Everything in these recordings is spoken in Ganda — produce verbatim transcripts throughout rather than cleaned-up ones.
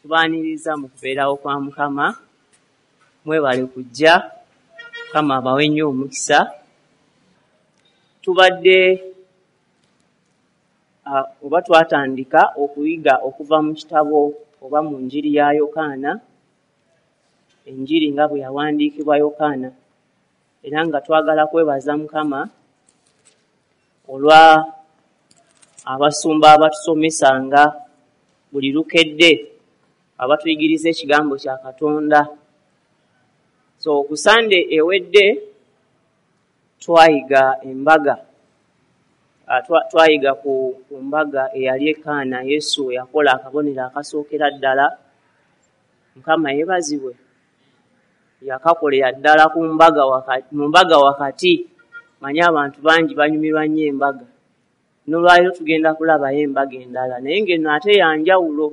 Tubaaniriza mu kubeerawo kwa Mukama. Mwebale kujja, Mukama abawe nnyo omukisa. Tubadde oba twatandika okuyiga okuva mu kitabo oba mu njiri ya Yokaana, enjiri nga bwe yawandiikibwa Yokaana, era nga twagala kwebaza Mukama olwa abasumba abatusomesanga buli lukedde, abatuyigiriza ekigambo kya Katonda. So ku Sande ewedde twayiga embaga, twayiga ku mbaga eyali e Kaana, Yesu yakola akabonero akasookera ddala. Mukama yeebazibwe, yakakolera ddala ku mbaga wakati, mu mbaga wakati. Manye abantu bangi banyumirwa nnyo embaga. N'olwaleero tugenda kulabayo embaga endala, naye ng'eno ate ya njawulo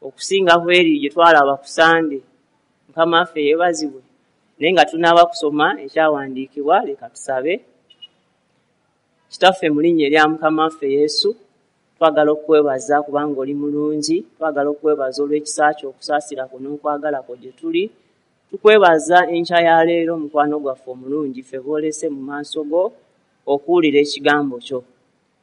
okusinga ku eri gye twalaba ku Sande. Mukama waffe yeebazibwe. Naye nga tunaaba kusoma ekyawandiikibwa, leka tusabe. Kitaffe, mu linnya erya Mukama waffe Yesu, twagala okukwebaza kubanga oli mulungi, twagala okukwebaza olw'ekisa kyo, okusaasira kwo n'okwagala kwo gye tuli. Tukwebaza enkya ya leero, mukwano gwaffe omulungi, ffe boolese mu maaso go okuwulira ekigambo kyo.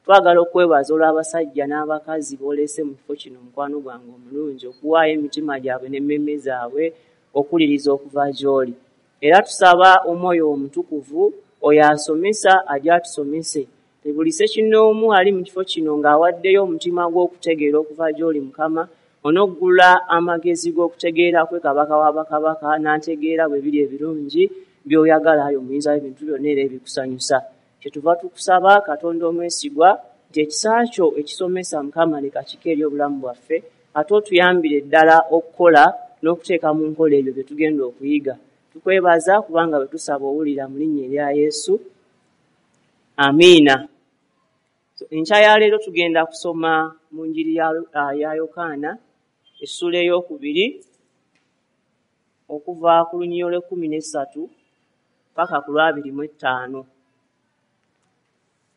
Twagala okwebaza olw'abasajja n'abakazi boolese mu kifo kino, mukwano gwange omulungi, okuwaayo emitima gyabwe n'emmeeme zaabwe okuwuliriza okuva gy'oli. Era tusaba Omwoyo Omutukuvu oyo asomesa ajje atusomese. Buli ssekinnoomu ali mu kifo kino ng'awaddeyo omutima gw'okutegeera okuva gy'oli, Mukama, onoggula amagezi g'okutegeera kwe Kabaka wa bakabaka, n'ategeera bwe biri ebirungi by'oyagala, ayi Omuyinza w'ebintu byonna era ebikusanyusa. Kyetuva tukusaba, Katonda omwesigwa, nti ekisa kyo ekisomesa, Mukama, leka kike eri obulamu bwaffe, ate otuyambire ddala okukola n'okuteeka mu nkola ebyo bye tugenda okuyiga. Tukwebaza kubanga bwe tusaba owulira, mu linnya erya Yesu, amiina. Enkya ya leero tugenda kusoma mu njiri ya, ya Yokaana essuula ey'okubiri okuva ku lunyiriri olw'ekkumi n'essatu paka ku lwabiri mu ettaano.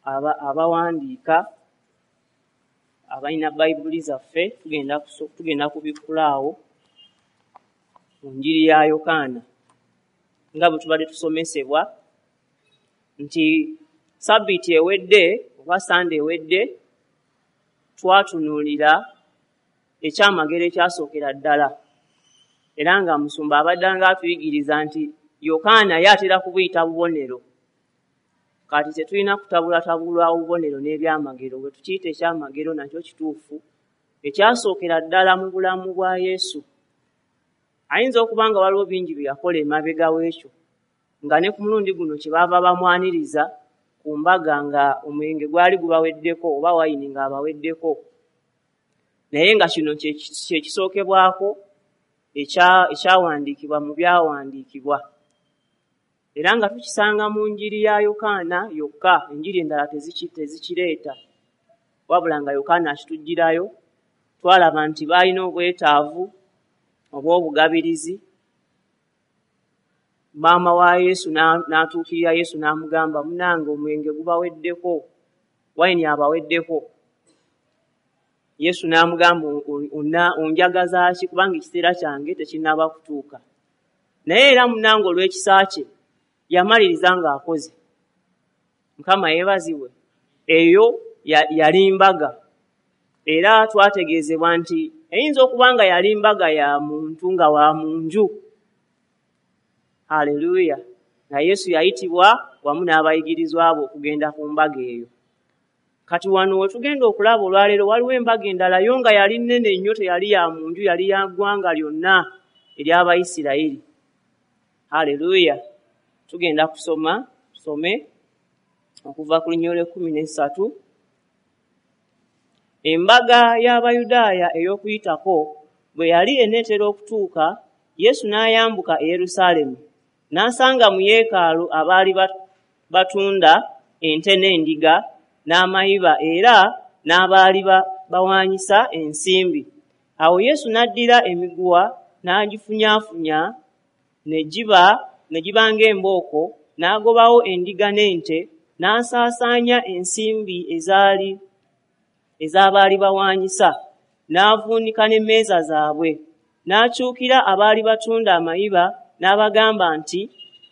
Aba, abawandiika abalina Bayibuli zaffe tugenda tugenda kubikkula awo mu njiri ya Yokaana, nga bwe tubadde tusomesebwa nti Sabbiiti ewedde oba Sande ewedde twatunuulira ekyamagero ekyasookera ddala, era nga musumba abadde nga atuyigiriza nti Yokaana ye atera kubuyita bubonero. Kati tetulina kutabulatabula obubonero n'ebyamagero, bwe tukiyita ekyamagero nakyo kituufu, ekyasookera ddala mu bulamu bwa Yesu. Ayinza okuba nga waliwo bingi bye yakola emabega w'ekyo, nga ne ku mulundi guno kye baava bamwaniriza ku mbaga nga omwenge gwali gubaweddeko oba wayini ng'abaweddeko, naye nga kino kye kisookebwako ekyawandiikibwa mu byawandiikibwa, era nga tukisanga mu njiri ya Yokaana yokka. Enjiri endala tezikireeta, wabula nga Yokaana akituggyirayo. Twalaba nti baalina obwetaavu obw'obugabirizi. Maama wa Yesu n'atuukirira Yesu n'amugamba, munnange omwenge gubaweddeko, wayini abaweddeko. Yesu n'amugamba, onjagaza ki, kubanga ekiseera kyange tekinnaba kutuuka. Naye era munnange olw'ekisa kye yamaliriza ng'akoze. Mukama yeebazibwe. Eyo yali mbaga, era twategeezebwa nti eyinza okuba nga yali mbaga ya muntu nga wa mu nju. Haleluya! Nga Yesu yayitibwa wamu n'abayigirizwa be okugenda ku mbaga eyo. Kati wano we tugenda okulaba olwaleero waliwo embaga endala yo nga yali nnene nnyo, teyali ya mu nju, yali ya ggwanga lyonna ery'Abayisirayiri. Haleluya! Tugenda kusoma, tusome okuva ku lunyiriri olw'ekkumi n'essatu. Embaga y'Abayudaaya ey'Okuyitako bwe yali eneetera okutuuka, Yesu n'ayambuka e Yerusaalemi, n'asanga mu yeekaalu abaali batunda ente n'endiga n'amayiba era n'abaali bawaanyisa ensimbi. Awo Yesu n'addira emiguwa n'agifunyaafunya ne giba ne giba ng'embooko, n'agobawo endiga n'ente, n'asaasaanya ensimbi ezaali ez'abaali bawaanyisa, n'avuunika n'emmeeza zaabwe. N'akyukira abaali batunda amayiba n'abagamba nti,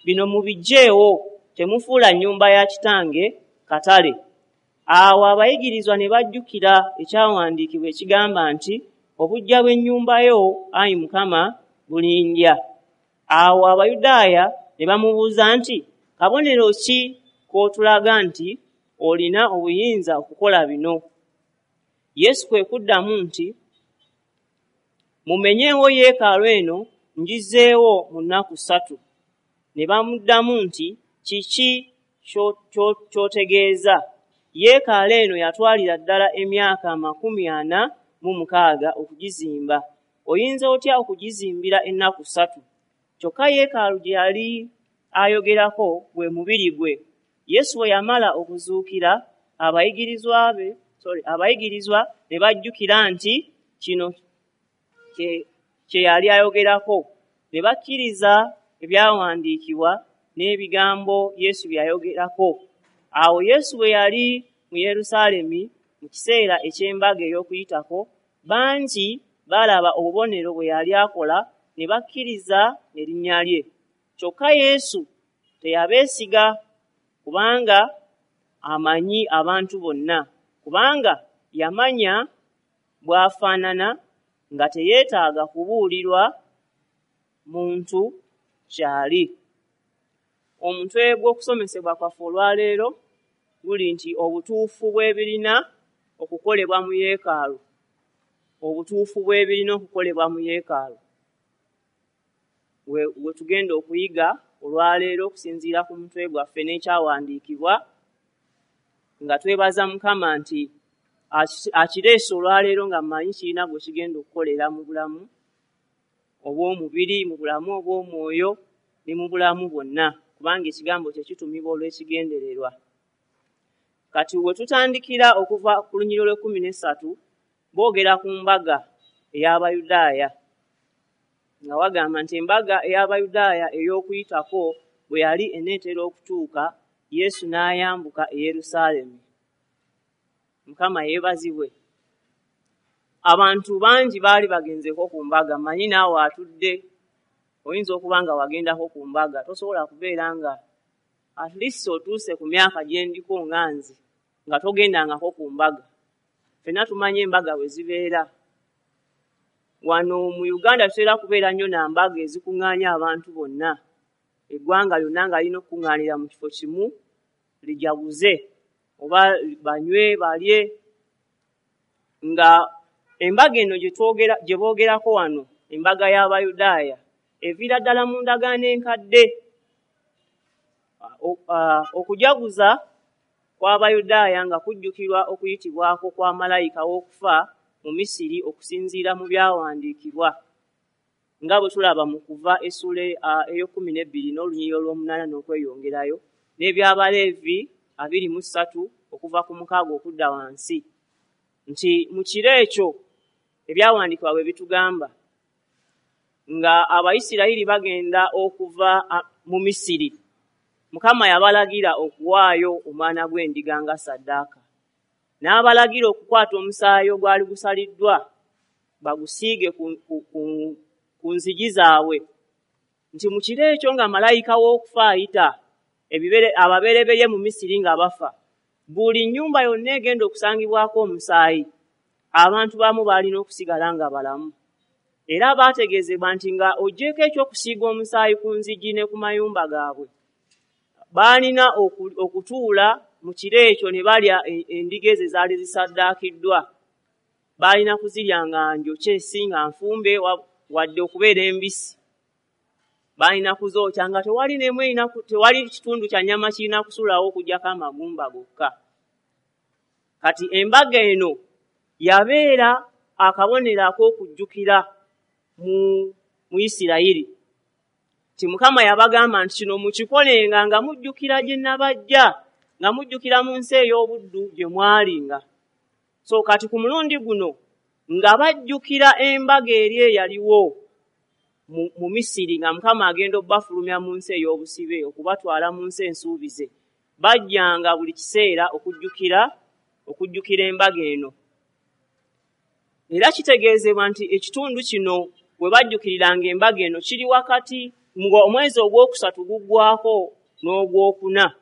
"Bino mubiggyeewo, temufuula nnyumba ya kitange katale." Awo abayigirizwa ne bajjukira ekyawandiikibwa ekigamba nti, "Obuggya bw'ennyumba yo, ayi Mukama, bulindya." Awo Abayudaaya ne bamubuuza nti, "Kabonero ki k'otulaga nti olina obuyinza okukola bino?" Yesu kwe kuddamu nti, "Mumenyeewo yeekaalu eno, ngizzeewo mu nnaku ssatu." Ne bamuddamu nti, "Kiki ky'otegeeza? Yeekaalu eno yatwalira ddala emyaka amakumi ana mu mukaaga okugizimba. Oyinza otya okugizimbira ennaku ssatu?" Kyokka yeekaalu gye yali ayogerako gwe mubiri gwe. Yesu bwe yamala okuzuukira, abayigirizwa be sorry, abayigirizwa ne bajjukira nti kino kye yali ayogerako, ne bakkiriza ebyawandiikibwa n'ebigambo Yesu bye yayogerako. Awo Yesu bwe yali mu Yerusaalemi mu kiseera eky'embaga ey'Okuyitako, bangi baalaba obubonero bwe yali akola ne bakkiriza erinnya lye. Kyokka Yesu teyabeesiga, kubanga amanyi abantu bonna, kubanga yamanya bw'afaanana nga teyeetaaga kubuulirwa muntu kyali. Omutwe gw'okusomesebwa kwaffe olwaleero guli nti obutuufu bw'ebirina okukolebwa mu yeekaalu. Obutuufu bw'ebirina okukolebwa mu yeekaalu. We, we tugenda okuyiga olwaleero okusinziira ku mutwe gwaffe n'ekyawandiikibwa, nga twebaza Mukama nti akireese olwaleero nga mmanyi kirina gwe kigenda okukolera mu bulamu obw'omubiri, mu bulamu obw'omwoyo ne mu bulamu bwonna, kubanga ekigambo kye kitumibwa olw'ekigendererwa. Kati we tutandikira okuva ku lunyiriri olw'ekkumi n'essatu, boogera ku mbaga ey'Abayudaaya, nga wagamba nti embaga ey'Abayudaaya ey'Okuyitako bwe yali eneetera okutuuka, Yesu n'ayambuka e Yerusaalemi. Mukama yeebazibwe. Abantu bangi baali bagenzeko ku mbaga. Mmanyi naawe atudde oyinza okuba nga wagendako ku mbaga. Tosobola kubeera nga at least otuuse ku myaka gye ndiko nga nze nga togendangako ku mbaga. Ffenna tumanyi embaga bwe zibeera. Wano mu Uganda tutera kubeera nnyo na mbaga ezikuŋŋaanya abantu bonna. Eggwanga lyonna nga lirina okukuŋŋaanira mu kifo kimu lijaguze oba banywe balye. Nga embaga eno gye twogera gye boogerako wano, embaga y'Abayudaaya, eviira ddala mu ndagaano enkadde. Okujaguza kw'Abayudaaya nga kujjukirwa okuyitibwako kwa malayika w'okufa mu Misiri okusinziira mu byawandiikibwa, nga bwe tulaba mu Kuva essuula ey'ekkumi n'ebbiri n'olunyiriri olw'omunaana n'okweyongerayo, n'eby'Abaleevi abiri mu ssatu okuva ku mukaaga okudda wansi, nti mu kiro ekyo ebyawandiikibwa bwe bitugamba nga Abayisirayiri bagenda okuva mu Misiri, Mukama yabalagira okuwaayo omwana gw'endiga nga ssaddaaka. N'abalagira okukwata omusaayi ogwali gusaliddwa bagusiige ku, ku, ku, ku nzigi zaabwe, nti mu kiro ekyo nga malayika w'okufa ayita ebibere ababereberye mu Misiri nga bafa, buli nnyumba yonna egenda okusangibwako omusaayi, abantu baamu baalina okusigala nga balamu. Era baategeezebwa nti nga oggyeko eky'okusiiga omusaayi ku nzigi ne ku mayumba gaabwe, baalina okutuula mu kiro ekyo ne balya endiga ezo ezaali zisaddaakiddwa. Baalina kuzirya nga njokye, si nga nfumbe wadde okubeera embisi. Balina kuzookya nga tewali n'emu erina tewali kitundu kya nnyama kirina kusulawo okuggyako amagumba gokka. Kati embaga eno yabeera akabonero ak'okujjukira mu mu Isirayiri. Nti Mukama yabagamba nti kino mukikolenga nga mujjukira gye nabajja, nga mujjukira mu nsi ey'obuddu gye mwalinga. So kati ku mulundi guno nga bajjukira embaga eri eyaliwo mu, mu Misiri, nga Mukama agenda obbafulumya mu nsi ey'obusibe okubatwala mu nsi ensuubize, bajjanga buli kiseera okujjukira okujjukira embaga eno. Era kitegeezebwa nti ekitundu kino we bajjukiriranga embaga eno. Kiri wakati ng'omwezi ogwokusatu guggwako n'ogwokuna.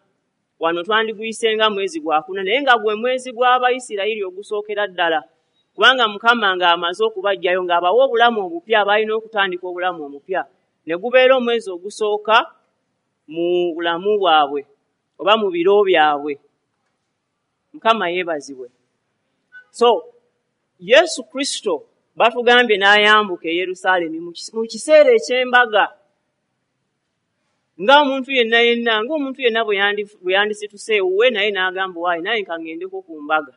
Wano twandiguyise nga mwezi gwakuna, naye nga gwe mwezi gw'Abayisirayiri ogusookera ddala, kubanga Mukama ng'amaze okubaggyayo ng'abawa obulamu obupya, balina okutandika obulamu omupya, ne gubeera omwezi ogusooka mu bulamu bwabwe oba mu biro byabwe. Mukama yeebazibwe. So Yesu Kristo batugambye n'ayambuka e Yerusaalemi mu kiseera eky'embaga, ng'omuntu yenna yenna, ng'omuntu yenna bwe yandisituse ewuwe naye n'agamba, "Waayi, naye nkaŋŋendeko ku mbaga."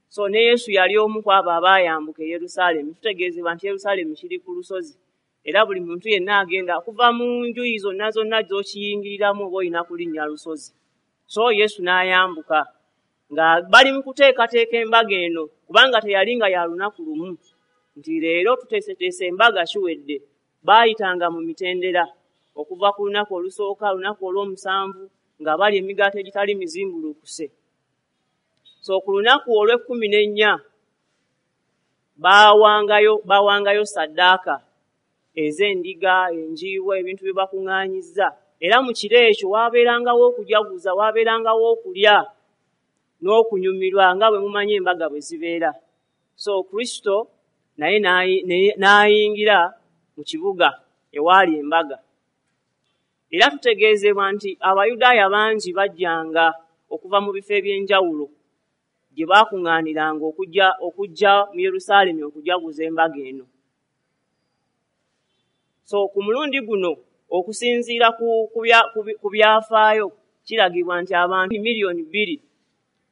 So ne Yesu yali omu ku abo abaayambuka e Yerusaalemi. Tutegeezebwa nti Yerusaalemi kiri ku lusozi, era buli muntu yenna agenda okuva mu njuyi zonna zonna z'okiyingiriramu oba olina kulinnya lusozi. So Yesu n'ayambuka nga bali mu kuteekateeka embaga eno, kubanga teyali nga ya lunaku lumu nti leero tuteeseteese embaga kiwedde. Baayitanga mu mitendera okuva ku lunaku olusooka, lunaku olw'omusanvu nga bali emigaati egitali mizimbulukuse. So ku lunaku olw'ekkumi n'ennya baawangayo baawangayo saddaaka ez'endiga, enjiibwa, ebintu bye bakuŋŋaanyizza. Era mu kiro ekyo waabeerangawo okujaguza, waabeerangawo okulya n'okunyumirwa, nga bwe mumanyi embaga bwe zibeera. So Kristo naye n'ayingira mu kibuga ewaali embaga. Era tutegeezebwa nti Abayudaaya bangi bajjanga okuva mu bifo eby'enjawulo gye baakuŋŋaaniranga okujja okujja mu Yerusaalemi okujaguza embaga eno. So ku mulundi guno, okusinziira ku, ku, bya, ku, ku byafaayo, kiragibwa nti abantu miliyoni bbiri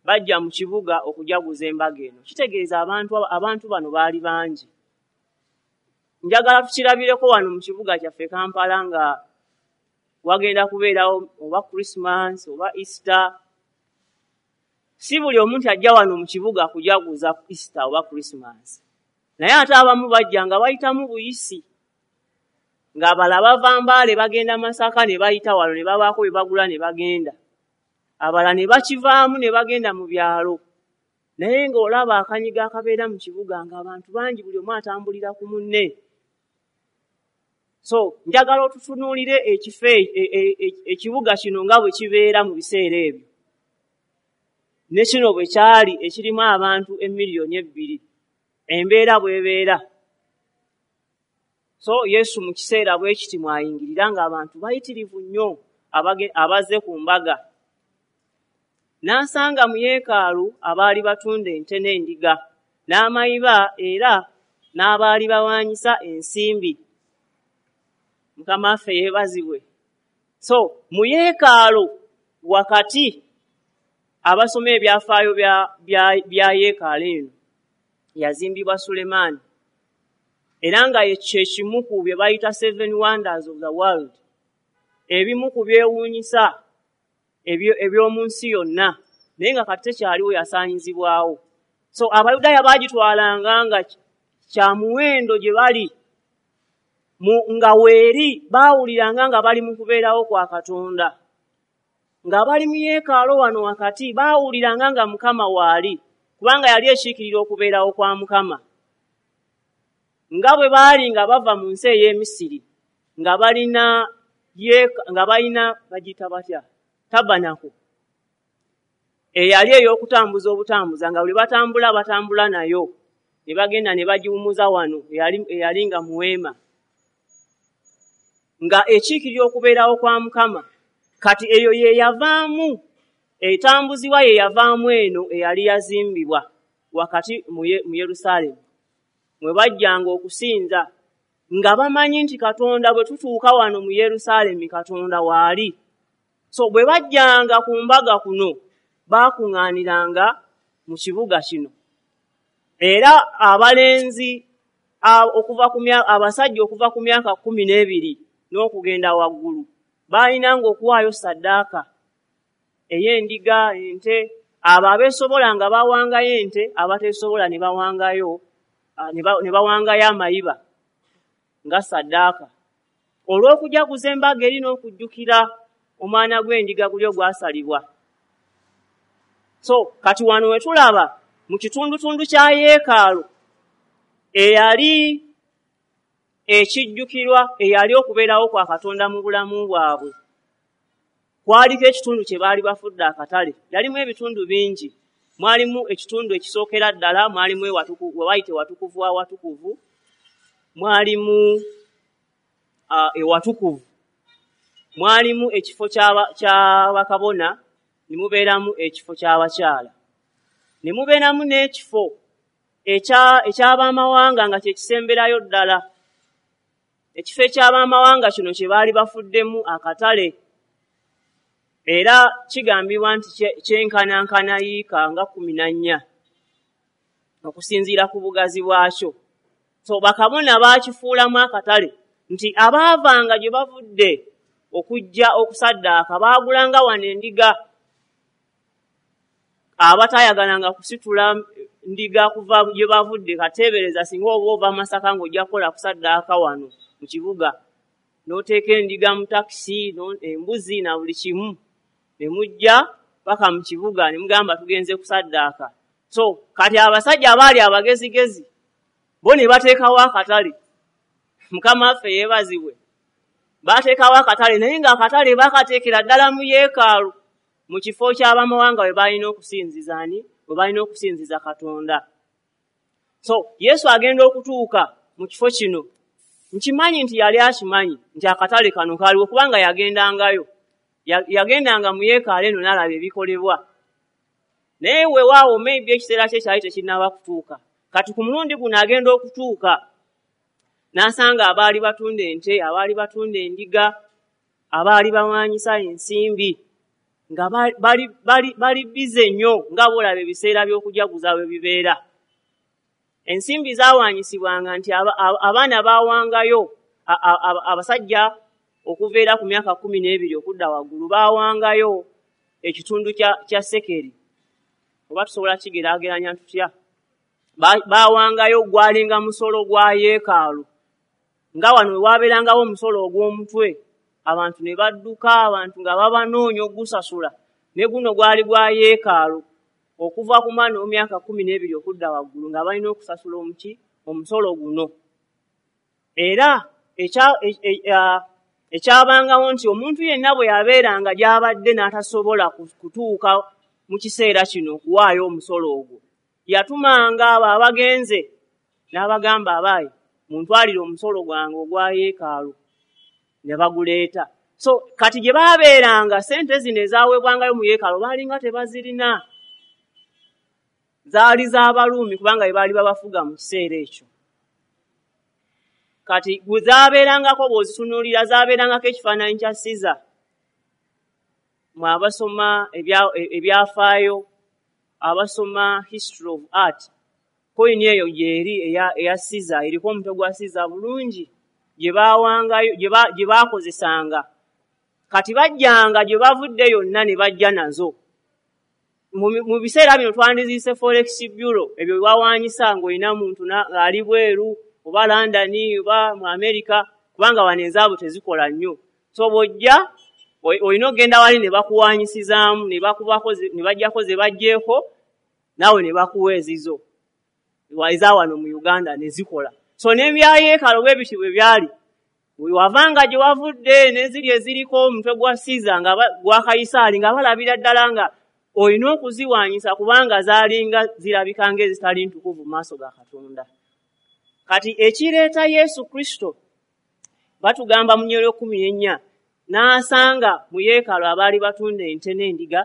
bajja mu kibuga okujaguza embaga eno. Kitegeeza abantu, abantu bano baali bangi. Njagala tukirabireko wano mu kibuga kyaffe Kampala nga wagenda kubeerawo oba Christmas oba Easter. Si buli omuntu ajja wano mu kibuga kujaguza Easter oba Christmas, naye ate abamu bajja nga bayitamu buyisi, ng'abalala bava Mbaale bagenda Masaka ne bayita wano ne babaako bye bagula ne bagenda, abalala ne bakivaamu ne bagenda mu byalo. Naye ng'olaba akanyigo akabeera mu kibuga ng'abantu bangi, buli omu atambulira ku munne. So njagala otutunuulire ekifo ekibuga kino nga bwe kibeera mu biseera ebyo, ne kino bwe kyali ekirimu abantu emiliyoni ebbiri, embeera bw'ebeera. So Yesu mu kiseera bwe kiti mwayingirira ng'abantu bayitirivu nnyo abazze ku mbaga. N'asanga mu yeekaalu abaali batunda ente n'endiga n'amayiba, era n'abaali bawaanyisa ensimbi. Mukama waffe yeebazibwe. So mu yeekaalu wakati, abasoma ebyafaayo bya, bya, bya yeekaalu eno yazimbibwa Sulemaani, era nga kye kimu ku bye bayita Seven Wonders of the World, ebimu ku byewuunyisa eby'omu nsi yonna, naye nga kati tekyaliwo, yasaanyizibwawo. So Abayudaaya baagitwalanga nga kya muwendo gye bali, nga weeri baawuliranga nga bali mu kubeerawo kwa Katonda, nga bali mu yeekaalo wano wakati baawuliranga nga Mukama waali, kubanga yali ekiikirira okubeerawo kwa Mukama. Nga bwe baali nga bava mu nsi ey'Emisiri nga balina nga balina bagiyita batya, tabanako eyali ey'okutambuza obutambuza, nga buli batambula batambula nayo ne bagenda ne bagiwumuza wano eyali, eyali nga muweema, nga ekiikirira okubeerawo kwa Mukama. Kati eyo ye yavaamu etambuzibwa, ye yavaamu eno eyali yazimbibwa wakati mu Yerusaalemi mwe bajjanga okusinza, nga bamanyi nti Katonda bwe tutuuka wano mu Yerusaalemi Katonda waali. So bwe bajjanga ku mbaga kuno baakuŋŋaaniranga mu kibuga kino. Era abalenzi okuva ku abasajja okuva ku myaka kkumi n'ebiri n'okugenda waggulu baalinanga okuwaayo saddaaka ey'endiga, ente. Abo abeesobola nga bawangayo ente, abateesobola ne bawangayo ne bawangayo amayiba nga saddaaka, olw'okujaguza embaga eri n'okujjukira omwana gw'endiga guli ogwasalibwa. So kati wano we tulaba mu kitundutundu kya yeekaalu eyali Ekijjukirwa eyali okubeerawo kwa Katonda mu bulamu bwabwe. Kwaliko ekitundu kye baali bafudde akatale. Yalimu ebitundu bingi. Mwalimu ekitundu ekisookera ddala, mwalimu ewatukuvu, we bayita ewatukuvu awatukuvu, mwalimu uh, ewatukuvu, mwalimu ekifo kya bakabona, ne mubeeramu ekifo ky'abakyala, ne mubeeramu n'ekifo eky'abamawanga nga kye kisemberayo ddala. Ekifo eky'abamawanga kino kye baali bafuddemu akatale, era kigambibwa nti kyenkanankana yiika nga kkumi na nnya okusinziira ku bugazi bwakyo. So bakabona baakifuulamu akatale nti abaavanga gye bavudde okujja okusaddaaka baagulanga wano endiga, abataayagalanga kusitula ndiga kuva gye bavudde. Kateebereza singa oba ova Masaka ng'ojja kukola kusaddaaka wano mu kibuga, n'oteeka endiga mu takisi, embuzi na buli kimu, ne mujja paka mu kibuga ne mugamba tugenze kusaddaaka. So kati abasajja abaali abagezigezi bo ne bateekawo akatale. Mukama waffe yeebazibwe. Baateekawo akatale, naye ng'akatale bakateekera ddala mu yeekaalu, mu kifo ky'abamawanga we balina okusinziza ani? We balina okusinziza Katonda. So Yesu agenda okutuuka mu kifo kino. Nkimanyi nti yali akimanyi nti akatale kano kaaliwo, kubanga yagendangayo. Yagendanga mu yeekaalu eno n'alaba ebikolebwa. Naye weewaawo maybe ekiseera kye kyali tekinnaba kutuuka. Kati ku mulundi guno agenda okutuuka n'asanga abaali batunda ente, abaali batunda endiga, abaali bawaanyisa ensimbi, nga bali bali bali bize nnyo nga bw'olaba ebiseera by'okujaguza bwe bibeera. Ensimbi zaawaanyisibwanga nti abaana baawangayo, abasajja okuva era ku myaka kkumi n'ebiri okudda waggulu baawangayo ekitundu kya sekeri. Oba tusobola kigeraageranya tutya? Baawangayo gwalinga musolo gwa yeekaalu, nga wano we waabeerangawo omusolo ogw'omutwe, abantu ne badduka, abantu nga babanoonya ogusasula. Ne guno gwali gwa yeekaalu okuva ku mwana ow'emyaka kkumi n'ebiri okudda waggulu nga balina okusasula omuki omusolo guno. Era ekyabangawo nti omuntu yenna bwe yabeeranga gy'abadde n'atasobola kutuuka mu kiseera kino okuwaayo omusolo ogwo, yatumanga abo abagenze n'abagamba, abaayi muntwalire omusolo gwange ogwa yeekaalu, ne baguleeta. So kati gye baabeeranga ssente zino ezaaweebwangayo mu yeekaalu baalinga tebazirina, zaali z'Abaruumi kubanga be baali babafuga mu kiseera ekyo. Kati bwe zaabeerangako bw'ozitunuulira zaabeerangako ekifaananyi kya Siza. Mwe abasoma ebyafaayo, abasoma history of art, koyini eyo gy'eri eya Siza, eriko omutwe gwa Siza bulungi, gye baawangayo, gye baakozesanga. Kati bajjanga gye bavudde yonna ne bajja nazo. Mu biseera bino twandiziise Forex Bureau, ebyo bye bawaanyisa ng'olina muntu ng'ali bweru oba London oba mu America, kubanga wano ezaabwe tezikola nnyo. So bw'ojja olina okugenda wali ne bakuwaanyisizaamu, ne bakubako ne baggyako ze baggyeko, naawe ne bakuwa ezizo eza wano mu Uganda ne zikola. So n'ebya yeekaalu bwe bityo bwe byali. Wavanga gye wavudde n'eziri eziriko omutwe gwa Siza nga gwa Kayisaali, nga balabira ddala nga olina okuziwaanyisa kubanga zaalinga zirabika ng'ezitali ntukuvu mu maaso ga Katonda. Kati ekireeta Yesu Kristo, batugamba mu nnyolo kkumi n'ennya, n'asanga mu yeekaalu abaali batunda ente n'endiga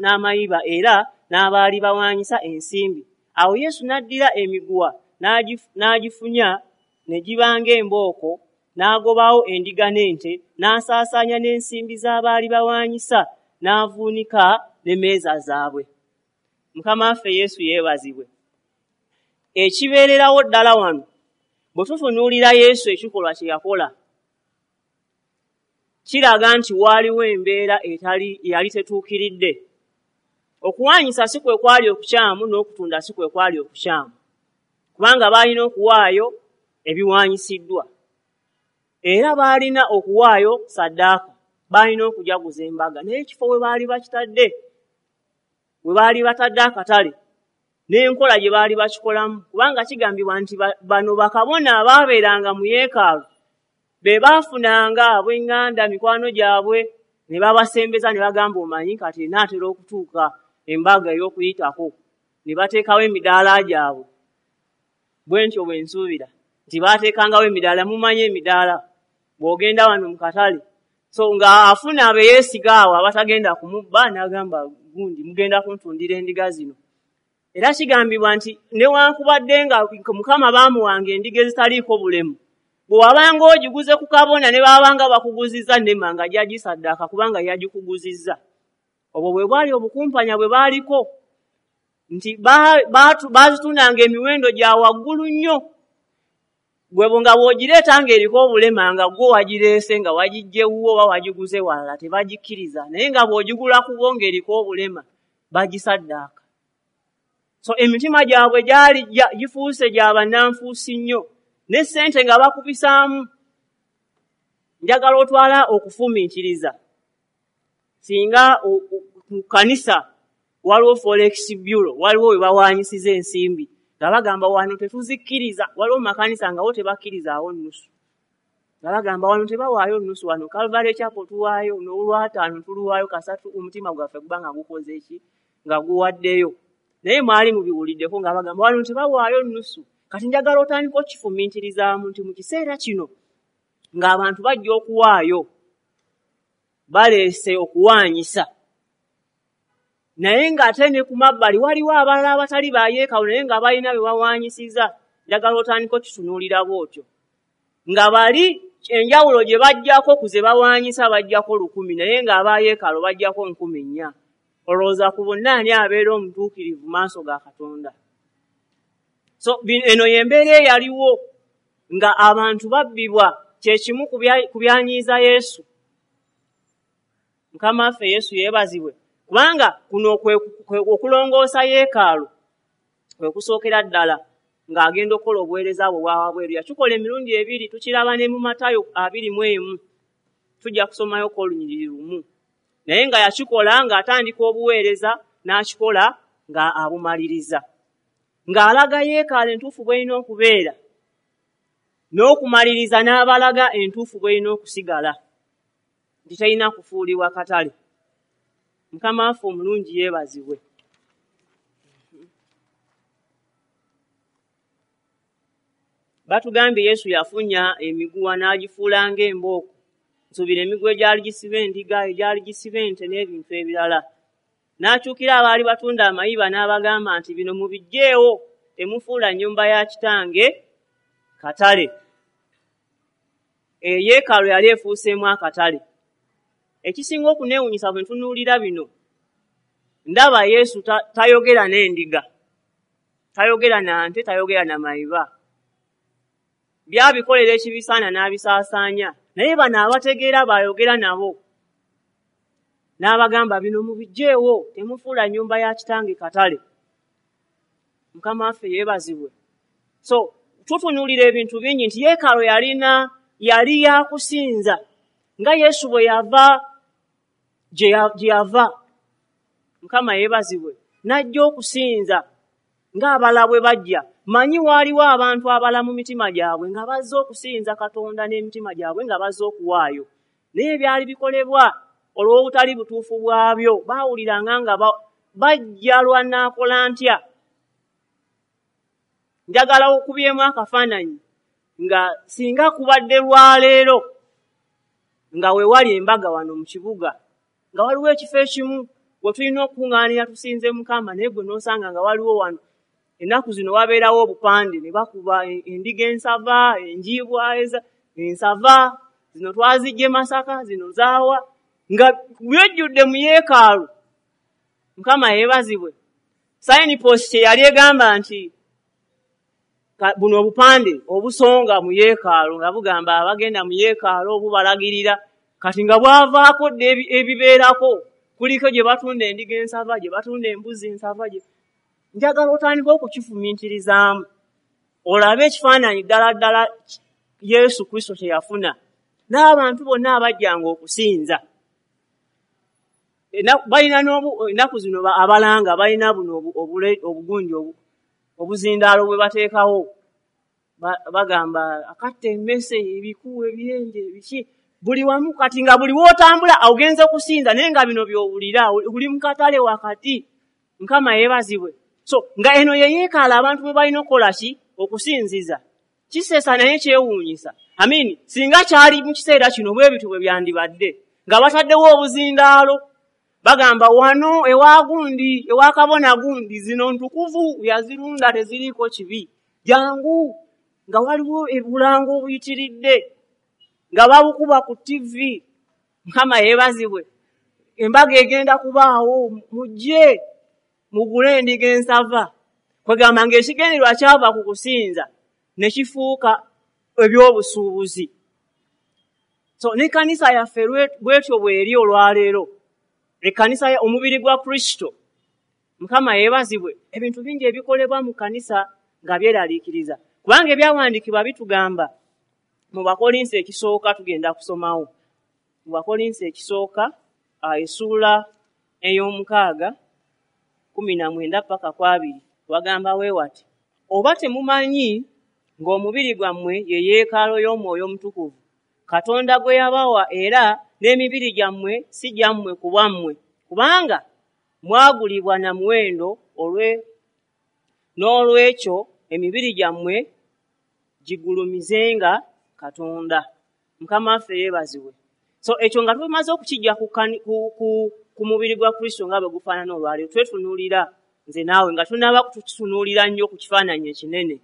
n'amayiba era n'abaali bawaanyisa ensimbi. Awo Yesu n'addira emiguwa n'agifunya ne giba ng'embooko, n'agobawo endiga n'ente, n'asaasaanya n'ensimbi z'abaali bawaanyisa, n'avuunika n'emmeeza zaabwe. Mukama waffe Yesu yeebazibwe. Ekibeererawo ddala wano, bwe tutunuulira Yesu ekikolwa kye yakola, kiraga nti waaliwo embeera etali yali tetuukiridde. Okuwaanyisa si kwe kwali okukyamu, n'okutunda si kwe kwali okukyamu, kubanga baalina okuwaayo ebiwaanyisiddwa, era baalina okuwaayo saddaaka, baalina okujaguza embaga. Naye ekifo we baali bakitadde, we baali batadde akatale, N'enkola gye baali bakikolamu, kubanga kigambibwa nti bano bakabona abaabeeranga mu yeekaalu be baafunanga ab'eŋŋanda mikwano gyabwe ne babasembeza ne bagamba, omanyi kati enaatera okutuuka embaga ey'okuyitako, ne bateekawo emidaala gyabwe. Bwe ntyo bwe nsuubira nti baateekangawo emidaala. Mumanyi emidaala bw'ogenda wano mu katale, so nga afuna abeyeesiga awo abatagenda kumubba n'agamba gundi mugenda kuntundira endiga zino. Era kigambibwa nti newankubadde nga Mukama baamuwanga endiga ezitaliiko bulemu, bwe wabanga ogiguze ku kabona ne baabanga bakuguzizza nema nga gyagisaddaaka kubanga yagikuguzizza. Obwo bwe bwali obukumpanya bwe baaliko, nti baazitundanga emiwendo gya waggulu nnyo. Gwe nga bw'ogireeta ng'eriko obulema nga gwe wagireese nga wagiggye wuwo oba wagiguze walala tebagikkiriza, naye nga bw'ogigula ku bo ng'eriko obulema bagisaddaaka. So emitima gyabwe gyali gifuuse gya bannanfuusi nnyo, ne ssente nga bakubisaamu. Njagala otwala okufumiitiriza singa ku kkanisa waliwo forex bureau, waliwo we bawaanyisiza ensimbi nga bagamba wano tetuzikkiriza. Waliwo mu makanisa nga wo tebakkirizaawo nnusu, nga bagamba wano tebawaayo nnusu, wano Calvary Chapel tuwaayo n'olwataano tuluwaayo kasatu, omutima gwaffe guba nga gukoze ki, nga guwaddeyo. Naye mwali mubiwuliddeko nga bagamba wano tebawaayo nnusu. Kati njagala otandika okifumiitirizaamu nti mu kiseera kino ng'abantu bajja okuwaayo, baleese okuwaanyisa, naye ng'ate ne ku mabbali waliwo abalala abatali ba yeekaalu naye nga balina be bawaanyisiza. Njagala otandika okitunuulira bw'otyo, nga bali enjawulo gye bajjako ku ze bawaanyisa bajjako lukumi, naye ng'aba yeekaalu bajjako nkumi nnya. Olowooza ku bonna ani abeera omutuukirivu maaso ga Katonda? So eno y'embeera eyaliwo nga abantu babbibwa, kye kimu ku byanyiiza Yesu. Mukama waffe Yesu yeebazibwe, kubanga kuno okulongoosa yeekaalu kwe kusookera ddala ng'agenda okukola obuweereza bwe obwa wabweru. Yakikola emirundi ebiri, tukiraba ne mu Matayo abiri mu emu, tujja kusomayoko olunyiriri lumu. Naye nga yakikola ng'atandika obuweereza n'akikola nga abumaliriza, ng'alaga yeekaalu entuufu bw'erina okubeera, n'okumaliriza n'abalaga entuufu bw'erina okusigala, nti terina kufuulibwa katale. Mukama waffe omulungi yeebazibwe. Batugambye Yesu yafunya emiguwa n'agifuula ng'embooko. Nsuubira emiguwa egyali gisiba endiga, egyali gisiba ente n'ebintu ebirala. N'akyukira abaali batunda amayiba n'abagamba nti bino mubiggyeewo, temufuula nnyumba ya kitange katale. Eyeekaalu yali efuuseemu akatale. Ekisinga okuneewuunyisa bwe ntunuulira bino, ndaba Yesu tayogera n'endiga, tayogera na nte, tayogera na mayiba. Byabikolera ekibisaana n'abisaasaanya, naye bano abategeera baayogera nabo n'abagamba bino mubiggyeewo, temufuula nnyumba ya kitange katale. Mukama waffe yeebazibwe. So tutunuulira ebintu bingi nti yeekaalu yalina yali yakusinza, nga Yesu bwe yava gye yava. Mukama yeebazibwe, n'ajja okusinza ng'abalala bwe bajja. Manyi waaliwo abantu abala mu mitima gyabwe nga bazze okusinza Katonda n'emitima gyabwe nga bazze okuwaayo, naye byali bikolebwa olw'obutali butuufu bwabyo. Baawuliranga nga bajja lwa nnaakola ntya. Njagala okubyemu akafaananyi nga singa kubadde lwaleero nga weewali embaga wano mu kibuga, nga waliwo ekifo ekimu we tulina okukuŋŋaanira tusinze Mukama, naye gwe n'osanga nga waliwo wano ennaku zino wabeerawo obupande ne bakuba endiga ensava, enjiibwa ensava, zino twaziggye Masaka, zino zaawa, nga byejjudde mu yeekaalu. Mukama yeebazibwe. Signpost yali egamba nti buno obupande obusonga mu yeekaalu nga bugamba abagenda mu yeekaalu obubalagirira, kati nga bwavaako dda ebibeerako, kuliko gye batunda endiga ensava, gye batunda embuzi ensava. Njagala otandike okukifumiitirizaamu, olabe ekifaananyi ddala ddala Yesu Kristo kye yafuna n'abantu bonna abajjanga okusinza. Balina ennaku zino abalanga balina buno obugundi Obuzindaalo bwe bateekawo bagamba akatta emmese, ebiku, ebiyenje, biki buli wamu. Kati nga buli w'otambula ogenze kusinza, naye nga bino by'owulira oli mu katale wakati. Mukama yeebazibwe. So nga eno ye yeekaalo abantu bwe balina okukola ki? Okusinziza. Kisesa naye kyewuunyisa. Amini, singa kyali mu kiseera kino bwe bityo bwe byandibadde, nga bataddewo obuzindaalo bagamba wano ewa gundi, ewa kabona gundi, zino ntukuvu, yazirunda teziriiko kibi, jangu. Nga waliwo obulango obuyitiridde nga babukuba ku T V. Mukama yeebazibwe. Embaga egenda kubaawo, mujje mugule endiga ensava. Kwegamba ng'ekigendererwa kyava ku kusinza ne kifuuka ebyobusuubuzi. So n'ekkanisa yaffe bwetyo bw'eri olwaleero, ekkanisa omubiri gwa Kristo. Mukama yeebazibwe. Ebintu bingi ebikolebwa mu kkanisa nga byeraliikiriza, kubanga ebyawandiikibwa bitugamba mu Bakolinso ekisooka, tugenda kusomawo mu Bakolinso ekisooka essuula ey'omukaaga kumi na mwenda paka ku abiri, wagamba we wati: oba temumanyi ng'omubiri gwammwe ye yeekaalo y'Omwoyo Omutukuvu Katonda gwe yabawa, era n'emibiri gyammwe si gyammwe ku bwammwe, kubanga mwagulibwa na muwendo, olwe n'olwekyo emibiri gyammwe gigulumizenga Katonda. Mukama waffe yeebazibwe. So ekyo nga tumaze okukijja ku, ku, ku, ku mubiri gwa Kristo nga bwe gufaanana olwaleero, twetunuulira nze naawe nga tunaaba tukitunuulira nnyo ku kifaananyi ekinene.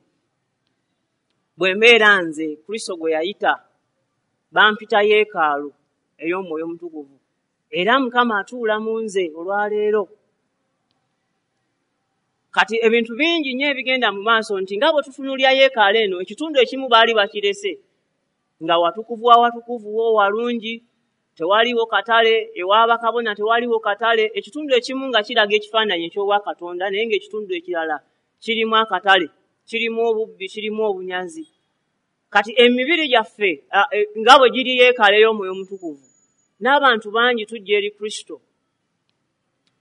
Bwe mbeera nze Kristo gwe yayita, bampita yeekaalu ey'Omwoyo Omutukuvu, era Mukama atuula mu nze olwaleero. Kati ebintu bingi nnyo ebigenda mu maaso nti nga bwe tutunuulira yeekaalu eno, ekitundu ekimu baali bakirese nga watukuvu awatukuvu wo walungi, tewaliwo katale, ewa bakabona tewaliwo katale. Ekitundu ekimu nga kiraga ekifaananyi eky'obwakatonda, naye ng'ekitundu ekirala kirimu akatale, kirimu obubbi, kirimu obunyazi. Kati emibiri gyaffe nga bwe giri yeekaalu ey'Omwoyo Omutukuvu, n'abantu bangi tujja eri Kristo,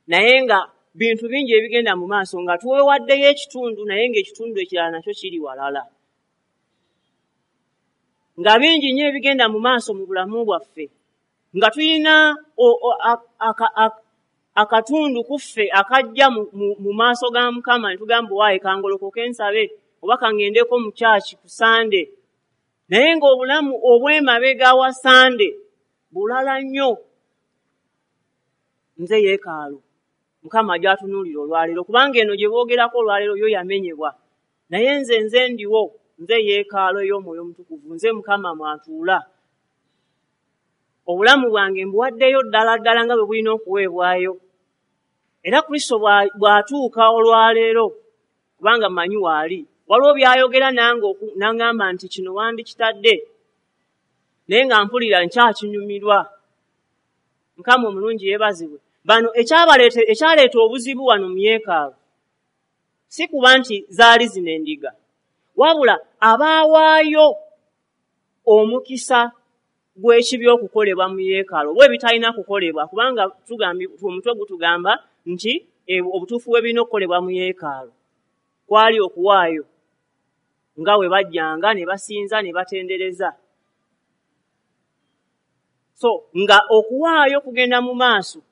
naye nga bintu bingi ebigenda mu maaso nga tuwewaddeyo ekitundu, naye ng'ekitundu ekirala nakyo kiri walala. Nga bingi nnyo ebigenda mu maaso mu bulamu bwaffe, nga tulina akatundu kuffe akajja mu maaso ga Mukama ne tugamba waaye kangolokoke nsabe oba kangendeko mu kyaki ku Sande, naye ng'obulamu obw'emabega wa Sande bulala nnyo. Nze yeekaalu Mukama gy'atunuulira olwaleero, kubanga eno gye boogerako olwaleero yo yamenyebwa, naye nze nze ndiwo, nze yeekaalu ey'Omwoyo Omutukuvu, nze Mukama mwatuula. Obulamu bwange mbuwaddeyo ddala ddala nga bwe bulina okuweebwayo. Era Kristo bw'atuuka olwaleero, kubanga mmanyi waali, waliwo by'ayogera nange n'angamba nti kino wandikitadde, naye nga mpulira nkyakinyumirwa. Mukama omulungi yeebazibwe. Bano ekyaleeta obuzibu wano mu yeekaalu si kuba nti zaali zino endiga, wabula abaawaayo omukisa gw'ekibi okukolebwa mu yeekaalu oba ebitalina kukolebwa, kubanga omutwe gutugamba nti obutuufu bwe birina okukolebwa mu yeekaalu kwali okuwaayo nga bwe bajjanga ne basinza ne batendereza. So nga okuwaayo kugenda mu maaso,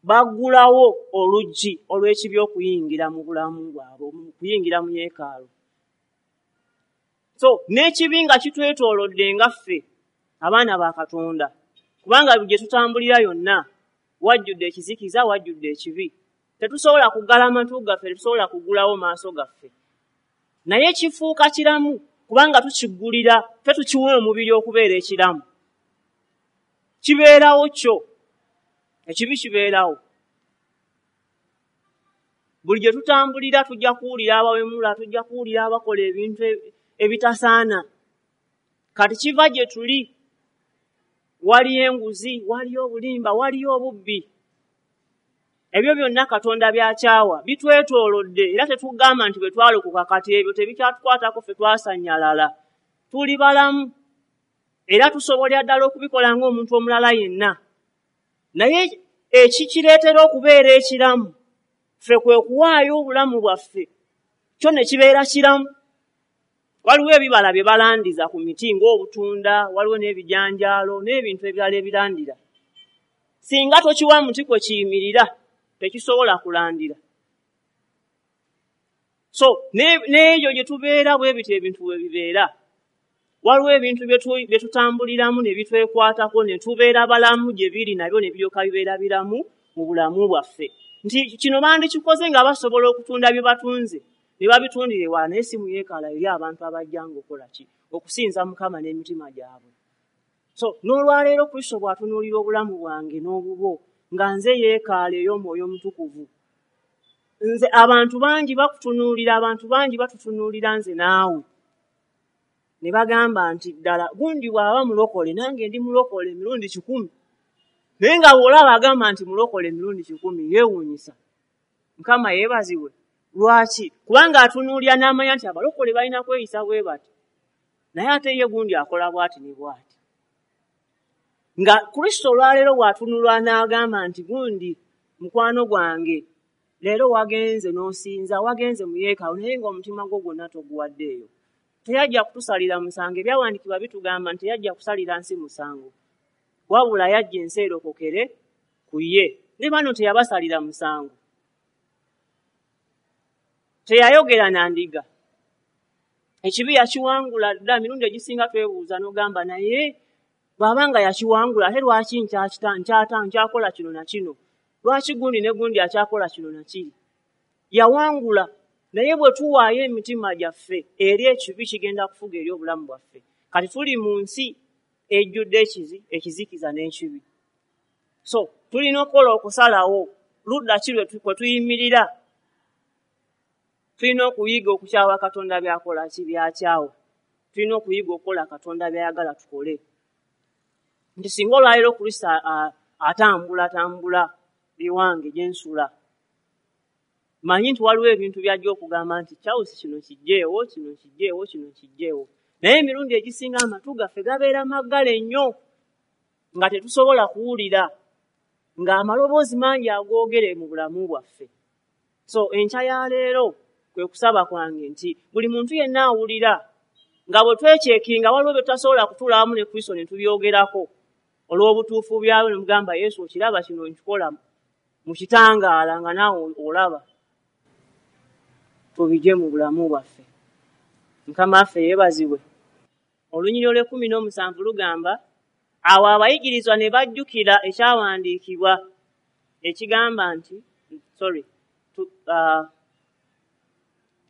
baggulawo oluggi olw'ekibi okuyingira mu bulamu bwabwe, okuyingira mu yeekaalu. So n'ekibi nga kitwetoolodde nga ffe abaana ba Katonda, kubanga gye tutambulira yonna wajjudde ekizikiza, wajjudde ekibi. Tetusobola kuggala amatu gaffe, tetusobola kuggulawo maaso gaffe, naye kifuuka kiramu kubanga tukiggulira, ffe tukiwa omubiri okubeera ekiramu. Kibeerawo kyo, ekibi kibeerawo. Buli gye tutambulira tujja kuwulira abawemula, tujja kuwulira abakola ebintu ebitasaana. Kati kiva gye tuli, waliyo enguzi, waliyo obulimba, waliyo obubbi. Ebyo byonna Katonda byakyawa, bitwetoolodde, era tetugamba nti bwe twalokoka kati ebyo tebikyatukwatako, ffe twasannyalala. Tuli balamu era tusobolera ddala okubikola ng'omuntu omulala yenna, naye ekikireetera okubeera ekiramu ffe kwe kuwaayo obulamu bwaffe Kyo ne kibeera kiramu. Waliwo ebibala bye balandiza ku miti ng'obutunda, waliwo n'ebijanjaalo n'ebintu ebirala ebirandira. Singa tokiwa muti kwe kiyimirira, tekisobola kulandira. So n'eyo gye tubeera bwe bityo ebintu bwe bibeera. Waliwo ebintu bye tutambuliramu ne bitwekwatako ne tubeera balamu gye biri nabyo ne biryoka bibeera biramu mu bulamu bwaffe. Nti kino bandikikoze nga basobola okutunda bye batunze ne babitundira ewala, naye si mu yeekaalu eri abantu abajjanga okukola ki? Okusinza Mukama n'emitima gyabwe. So n'olwaleero Kristo bw'atunuulira obulamu bwange n'obubwo nga nze yeekaalu ey'Omwoyo Omutukuvu. Nze abantu bangi bakutunuulira, abantu bangi batutunuulira nze naawe. Ne bagamba nti ddala gundi bw'aba mulokole nange ndi mulokole emirundi kikumi. Naye nga bw'olaba agamba nti mulokole emirundi kikumi yeewuunyisa. Mukama yeebazibwe. Lwaki? Kubanga atunuulira n'amanya nti abalokole balina kweyisa bwe bati. Naye ate ye gundi akola bw'ati ne bw'ati. Nga Kristo olwaleero bw'atunulwa n'agamba nti gundi mukwano gwange leero wagenze n'osinza, wagenze mu yeekaalu naye ng'omutima gwo gwonna toguwaddeeyo. Teyajja kutusalira musango. Ebyawandiikibwa bitugamba nti teyajja kusalira nsi musango, wabula yajja ensi erokokere ku ye. Ne bano teyabasalira musango. Teyayogera na ndiga. Ekibi yakiwangula dda. Emirundi egisinga twebuuza n'ogamba naye bw'aba nga yakiwangula ate lwaki nkyakita nkyata nkyakola kino na kino? Lwaki gundi ne gundi akyakola kino na kiri? Yawangula. Naye bwe tuwaayo emitima gyaffe eri ekibi kigenda kufuga eri obulamu bwaffe. Kati tuli mu nsi ejjudde ekizi ekizikiza n'ekibi. So tulina okukola okusalawo ludda ki kwe tuyimirira. Tulina okuyiga okukyawa Katonda by'akola ki by'akyawa. Tulina okuyiga okukola Katonda by'ayagala tukole. Nti singa olwaleero Kristo atambula tambula ewange gye nsula, manyi nti waliwo ebintu by'ajja okugamba nti Charles kino kijjeewo, kino kijjeewo, kino kijjeewo. Naye emirundi egisinga amatu gaffe gabeera maggale nnyo nga tetusobola kuwulira, ng'amaloboozi mangi agoogere mu bulamu bwaffe. So enkya ya leero kwe kusaba kwange nti buli muntu yenna awulira nga bwe twekyekinga waliwo bye tutasobola kutuula wamu ne Kristo ne tubyogerako olw'obutuufu byabwe ne mugamba Yesu okiraba kino nkikola mu kitangaala nga naawe olaba, tubigye mu bulamu bwaffe. Mukama waffe yeebazibwe. Olunyiriri olw'ekkumi n'omusanvu lugamba, awo abayigirizwa ne bajjukira ekyawandiikibwa ekigamba nti sorry uh,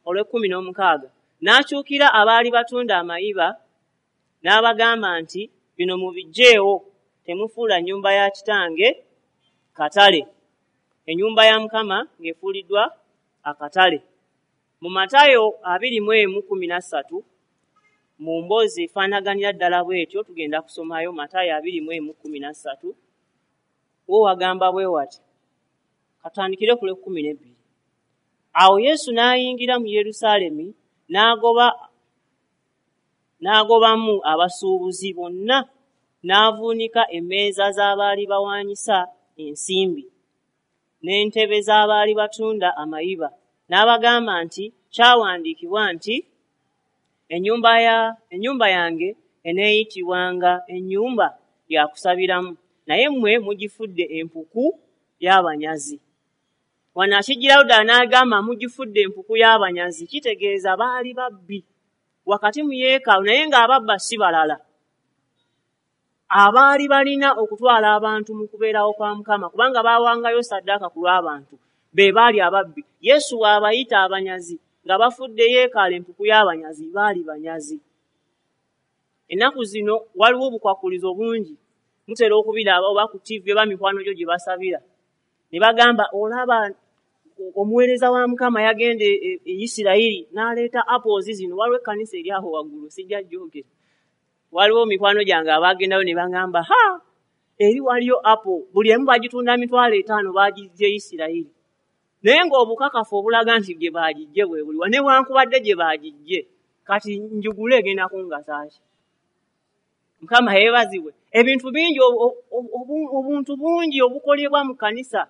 olw'ekkumi n'omukaaga n'akyukira abaali batunda amayiba n'abagamba nti bino mubiggyeewo, temufuula nnyumba ya kitange katale. Ennyumba ya Mukama ng'efuuliddwa akatale. Mu Matayo abiri mu emu kkumi na ssatu mu mboozi efaanaganira ddala bw'etyo tugenda kusomayo Matayo abiri mu emu kkumi na ssatu. Wo wagamba bwe wati, katandikire ku lw'ekkumi n'ebbiri. Awo Yesu n'ayingira mu Yerusaalemi n'agoba n'agobamu abasuubuzi bonna n'avuunika emmeeza z'abaali bawaanyisa ensimbi n'entebe z'abaali batunda amayiba. N'abagamba nti kyawandiikibwa nti ennyumba ya ennyumba yange eneeyitibwanga ennyumba ya kusabiramu, naye mmwe mugifudde empuku y'abanyazi. Wano akigirawo ddala n'agamba mugifudde empuku y'abanyazi, kitegeeza baali babbi wakati mu yeekaalu, naye ng'ababba si balala, abaali balina okutwala abantu mu kubeerawo kwa Mukama, kubanga baawangayo ssaddaaka ku lw'abantu be baali ababbi. Yesu bw'abayita abanyazi nga bafudde yeekaalu empuku y'abanyazi, baali banyazi. Ennaku zino waliwo obukwakulizo bungi, mutera okubiraba oba ku T V oba mikwano gyo gye basabira ne bagamba olaba omuweereza wa Mukama yagenda e Isirayiri n'aleeta apples zino. Waliwo ekkanisa eri awo waggulu, sijja jjogera. Waliwo mikwano gyange abaagendayo ne bagamba ha eri waliyo apple buli emu bagitunda mitwalo etaano bagiggye Isirayiri. Naye ng'obukakafu obulaga nti gye bagiggye bwe buliwa, newankubadde gye bagiggye kati njugule egenda kungasa ki? Mukama yeebazibwe. Ebintu bingi, obuntu bungi obukolebwa mu kkanisa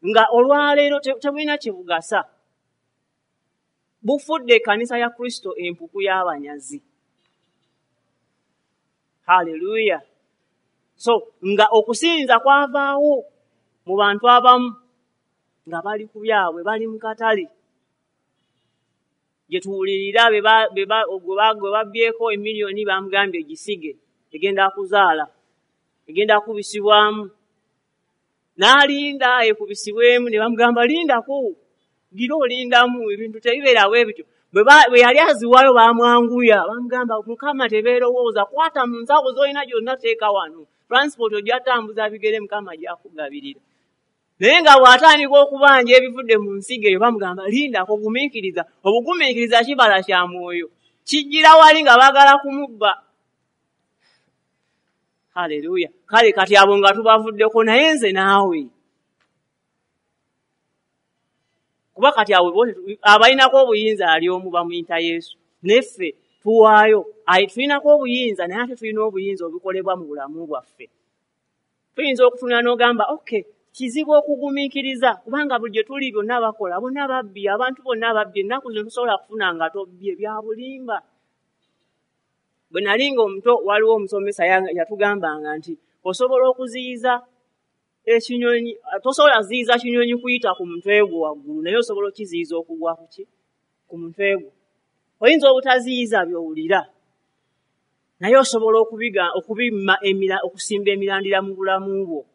nga olwaleero tebulina kye bugasa. Bufudde ekkanisa ya Kristo empuku y'abanyazi. Haleluya. So nga okusinza kwavaawo mu bantu abamu nga bali ku byabwe, bali mu katale. Gye tuwulirira gwe babbyeko emiliyoni bamugambye gisige, egenda kuzaala, egenda kubisibwamu. N'alinda ekubisibwemu ne bamugamba lindako, gira olindamu, ebintu tebibeera bwe bityo. Bwe yali aziwaayo bamwanguya, bamugamba Mukama tebeerowooza, kwata mu nsawo z'olina gyonna teeka wano, transport ojja tambuza bigere Mukama ajja kugabirira. Naye nga bw'atandika okubanja ebivudde mu nsigo eyo bamugamba lindako, gumiikiriza. Obugumiikiriza kibala kya mwoyo, kijjira wali nga baagala kumubba. Haleluya. Kale kati abo nga tubavuddeko, naye nze naawe, kuba kati abo abalinako obuyinza ali omu bamuyita Yesu, neffe tuwaayo. Tulinako obuyinza, naye ate tulina obuyinza obukolebwa mu bulamu bwaffe. Tuyinza okutunula n'ogamba okay, kizibu okugumiikiriza kubanga buli gye tuli byonna bakola, bonna babbi, abantu bonna babbi, ennaku zino tosobola kufuna nga tobbye, bya bulimba. Bwe nali nga omuto waliwo omusomesa yatugambanga nti osobola okuziyiza ekinyonyi, tosobola kuziyiza kinyonyi kuyita ku mutwe gwo waggulu, naye osobola okukiziyiza okugwa ku ki? Ku mutwe gwo. Oyinza obutaziyiza by'owulira, naye osobola okubiga okubimma emira okusimba emirandira mu bulamu bwo.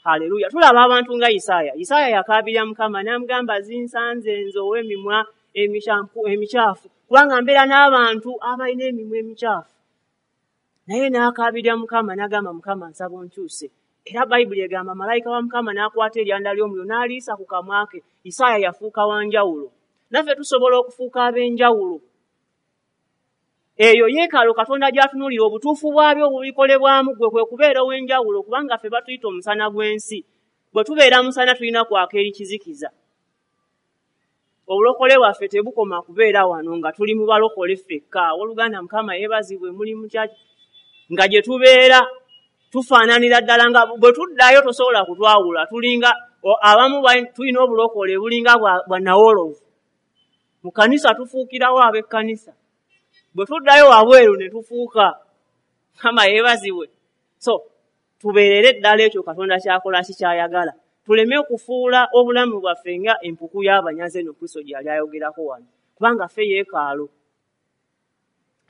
Haleluya. Tulaba abantu nga Isaaya. Isaaya yakaabirira Mukama n'amugamba zinsanze nze ow'emimwa emikyafu, kubanga mbeera n'abantu abalina emimwa emikyafu. Naye n'akaabirira Mukama n'agamba Mukama nsaba onkyuse. Era Bayibuli egamba malayika wa Mukama n'akwata eryanda ly'omuliro n'aliisa ku kamwa ke. Isaaya yafuuka wa njawulo. Naffe tusobola okufuuka ab'enjawulo. Eyo yeekaalu Katonda gy'atunuulira, obutuufu bwabyo obubikolebwamu gwe kwe kubeera ow'enjawulo, kubanga ffe batuyita omusana gw'ensi. Bwe tubeera musana tulina kwaka eri kizikiza. Obulokole bwaffe tebukoma kubeera wano nga tuli mu balokole ffekka. Owooluganda Mukama yeebazibwe, muli mutya? Nga gye tubeera tufaananira ddala nga bwe tuddayo tosobola kutwawula. Tulinga abamu tulina obulokole bulinga bwa nawolovu. Mu kkanisa tufuukirawo ab'ekkanisa, bwe tuddayo wabweru ne tufuuka. Mukama yeebazibwe. So tubeerere ddala ekyo Katonda ky'akola kikyayagala, tuleme okufuula obulamu bwaffe nga empuku y'abanyazi eno Kristo gye yali ayogerako wano, kubanga ffe yeekaalo.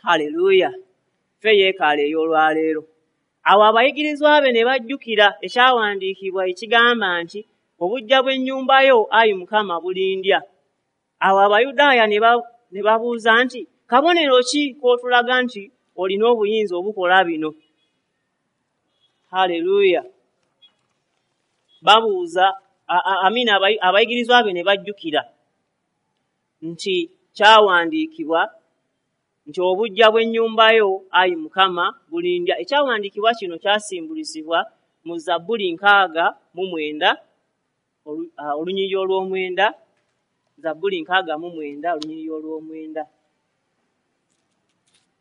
Haleluya. Ffe yeekaalo ey'olwaleero. Awo abayigirizwa be ne bajjukira ekyawandiikibwa ekigamba nti obuggya bw'ennyumba yo, ayi Mukama, bulindya. Awo Abayudaaya ne babuuza nti kabonero ki k'otulaga nti olina obuyinza obukola bino? Haleluya. Babuuza amina. Abayigirizwa be ne bajjukira nti kyawandiikibwa nti obuggya bw'ennyumba yo, ayi Mukama, bulindya. Ekyawandiikibwa kino kyasimbulisibwa mu Zabbuli nkaaga mu mwenda olunyiriri olw'omwenda. Zabbuli nkaaga mu mwenda olunyiriri olw'omwenda.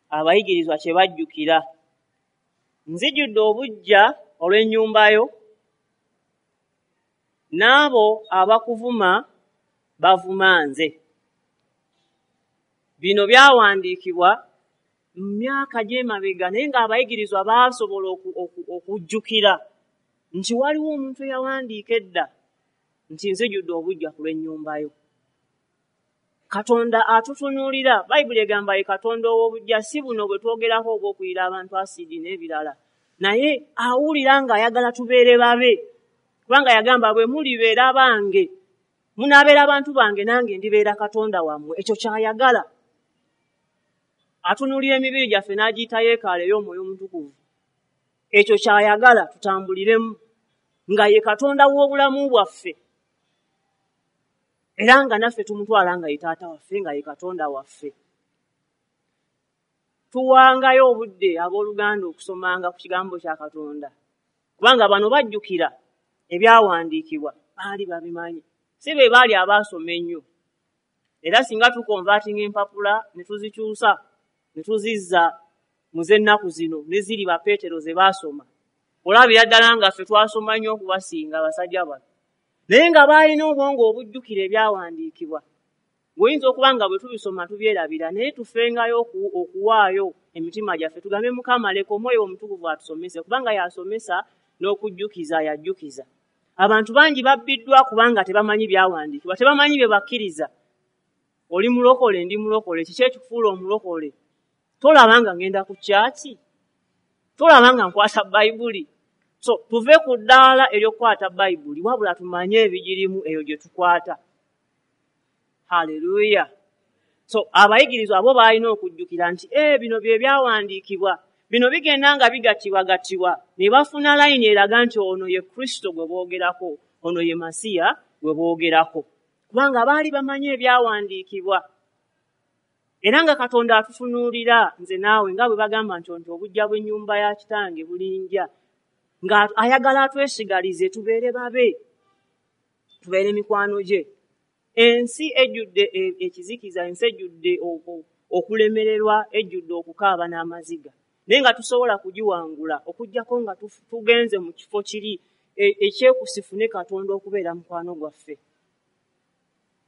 Abayigirizwa kye bajjukira, nzijjudde obuggya olw'ennyumba yo, n'abo abakuvuma bavuma nze. Bino byawandiikibwa mu myaka gy'emabega, naye ng'abayigirizwa baasobola okujjukira nti waliwo omuntu eyawandiika edda nti nzijjudde obuggya ku lw'ennyumba yo. Katonda atutunuulira. Bayibuli egamba ye Katonda ow'obuggya, si buno bwe twogerako obw'okuyira abantu asidi n'ebirala, naye awulira ng'ayagala tubeere babe, kubanga yagamba bwe mulibeera bange, munaabeera abantu bange, nange ndibeera Katonda wammwe. Ekyo ky'ayagala. Atunuulira emibiri gyaffe n'agiyita yeekaalo ey'Omwoyo Omutukuvu. Ekyo ky'ayagala tutambuliremu nga ye Katonda w'obulamu bwaffe, era nga naffe tumutwala nga ye taata waffe, nga ye Katonda waffe. Tuwangayo obudde abooluganda okusomanga ku kigambo kya Katonda, kubanga bano bajjukira ebyawandiikibwa, baali babimanyi, si be baali abaasoma ennyo. Era singa tukonvatinga empapula ne tuzikyusa ne tuzizza mu z'ennaku zino ne ziri ba Peetero ze baasoma, olabira ddala nga ffe twasoma nnyo okubasinga abasajja bano. Naye nga baalina obwongo obujjukira ebyawandiikibwa. Bw'oyinza okuba nga bwe tubisoma tubyerabira, naye tufengayo okuwaayo emitima gyaffe tugambe Mukama leka Omwoyo Omutukuvu atusomese, kubanga y'asomesa n'okujjukiza yajjukiza. Abantu bangi babbiddwa kubanga tebamanyi byawandiikibwa, tebamanyi bye bakkiriza. Oli mulokole, ndi mulokole, kiki ekikufuula omulokole? Tolaba nga ngenda ku kyaki? Tolaba nga nkwata Bayibuli? So tuve ku ddaala ery'okukwata Bayibuli, wabula tumanye ebigirimu eyo gye tukwata. Haleluya. So abayigirizwa abo baalina okujjukira nti eh bino bye byawandiikibwa, bino bigenda nga bigattibwagattibwa ne bafuna layini eraga nti ono ye Kristo gwe boogerako, ono ye Masiya gwe boogerako, kubanga baali bamanyi ebyawandiikibwa. Era nga Katonda atutunuulira nze naawe nga bwe bagamba nti nti obujja bw'ennyumba ya kitange bulinja, nga ayagala atwesigalize tubeere babe, tubeere mikwano gye. Ensi ejjudde ekizikiza, ensi ejjudde okulemererwa, ejjudde okukaaba n'amaziga, naye nga tusobola kugiwangula okuggyako nga tugenze mu kifo kiri ekyekusifu ne Katonda okubeera mukwano gwaffe.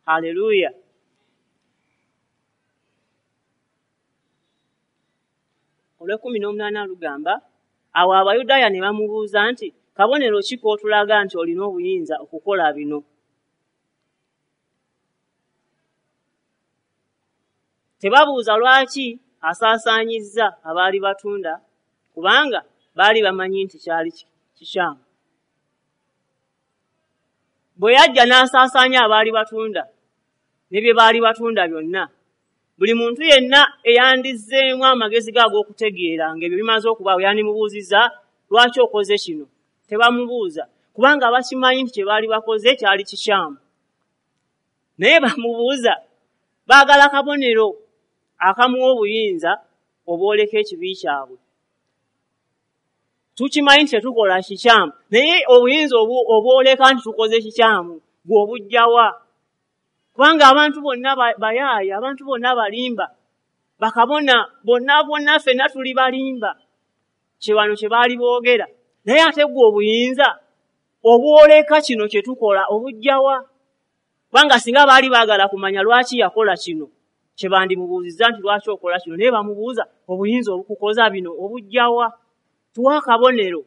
Haleluya. Olw'ekkumi n'omunaana lugamba, awo Abayudaaya ne bamubuuza nti, kabonero ki k'otulaga nti olina obuyinza okukola bino? Tebabuuza lwaki asaasaanyizza abaali batunda, kubanga baali bamanyi nti kyali kikyamu. Bwe yajja n'asaasaanya abaali batunda ne bye baali batunda byonna, buli muntu yenna eyandizzeemu amagezi ge ag'okutegeera ng'ebyo bimaze okubaawo yandimubuuzizza lwaki okoze kino. Tebamubuuza kubanga bakimanyi nti kye baali bakoze kyali kikyamu. Naye bamubuuza, baagala kabonero akamuwa obuyinza obwoleka ekibi kyabwe. Tukimanyi nti tetukola kikyamu, naye obuyinza obwoleka nti tukoze kikyamu gwe obujjawa? Kubanga abantu bonna bayaaya, abantu bonna balimba, bakabona bonna bonna ffenna tuli balimba, kye bano kye baali boogera. Naye ate gwe obuyinza obwoleka kino kye tukola obujjawa? Kubanga singa baali baagala kumanya lwaki yakola kino, kye bandimubuuzizza nti lwaki okola kino, naye bamubuuza obuyinza obukukoza bino obujjawa? Tuwa akabonero.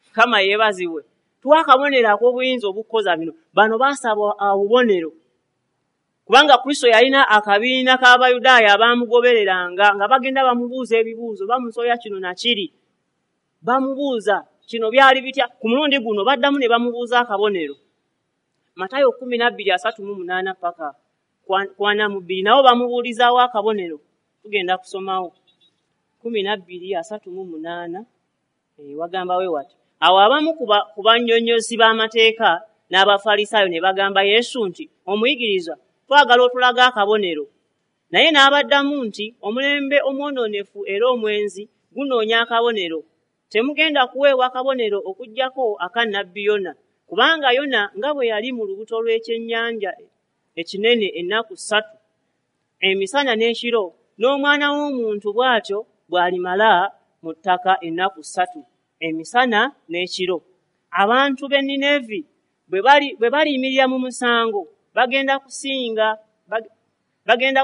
Mukama yeebazibwe. Tuwa akabonero ak'obuyinza obukukoza bino. Bano baasaba obubonero, kubanga Kristo yalina akabiina k'Abayudaaya abaamugobereranga nga bagenda bamubuuza ebibuuzo, bamusoya kino na kiri, bamubuuza kino byali bitya. Ku mulundi guno baddamu ne bamubuuza akabonero. Matayo kkumi na bbiri asatu mu munaana paka kwana mu bbiri nabo bamubuulizaawo akabonero. Tugenda kusomawo kkumi na bbiri asatu mu munaana, wagamba we wati, awo abamu ku bannyonnyozi b'amateeka n'Abafalisaayo ne bagamba Yesu nti, omuyigiriza, twagala otulaga akabonero. Naye n'abaddamu nti, omulembe omwonoonefu era omwenzi gunoonya akabonero. Temugenda kuweebwa akabonero okuggyako aka nnabbi Yona, kubanga Yona nga bwe yali mu lubuto lw'ekyennyanja ekinene ennaku ssatu emisana n'ekiro, n'Omwana w'Omuntu bw'atyo bw'alimala mu ttaka ennaku ssatu emisana n'ekiro. Abantu b'e Ninevi bwe baliyimirira mu musango bagenda kusinga bagenda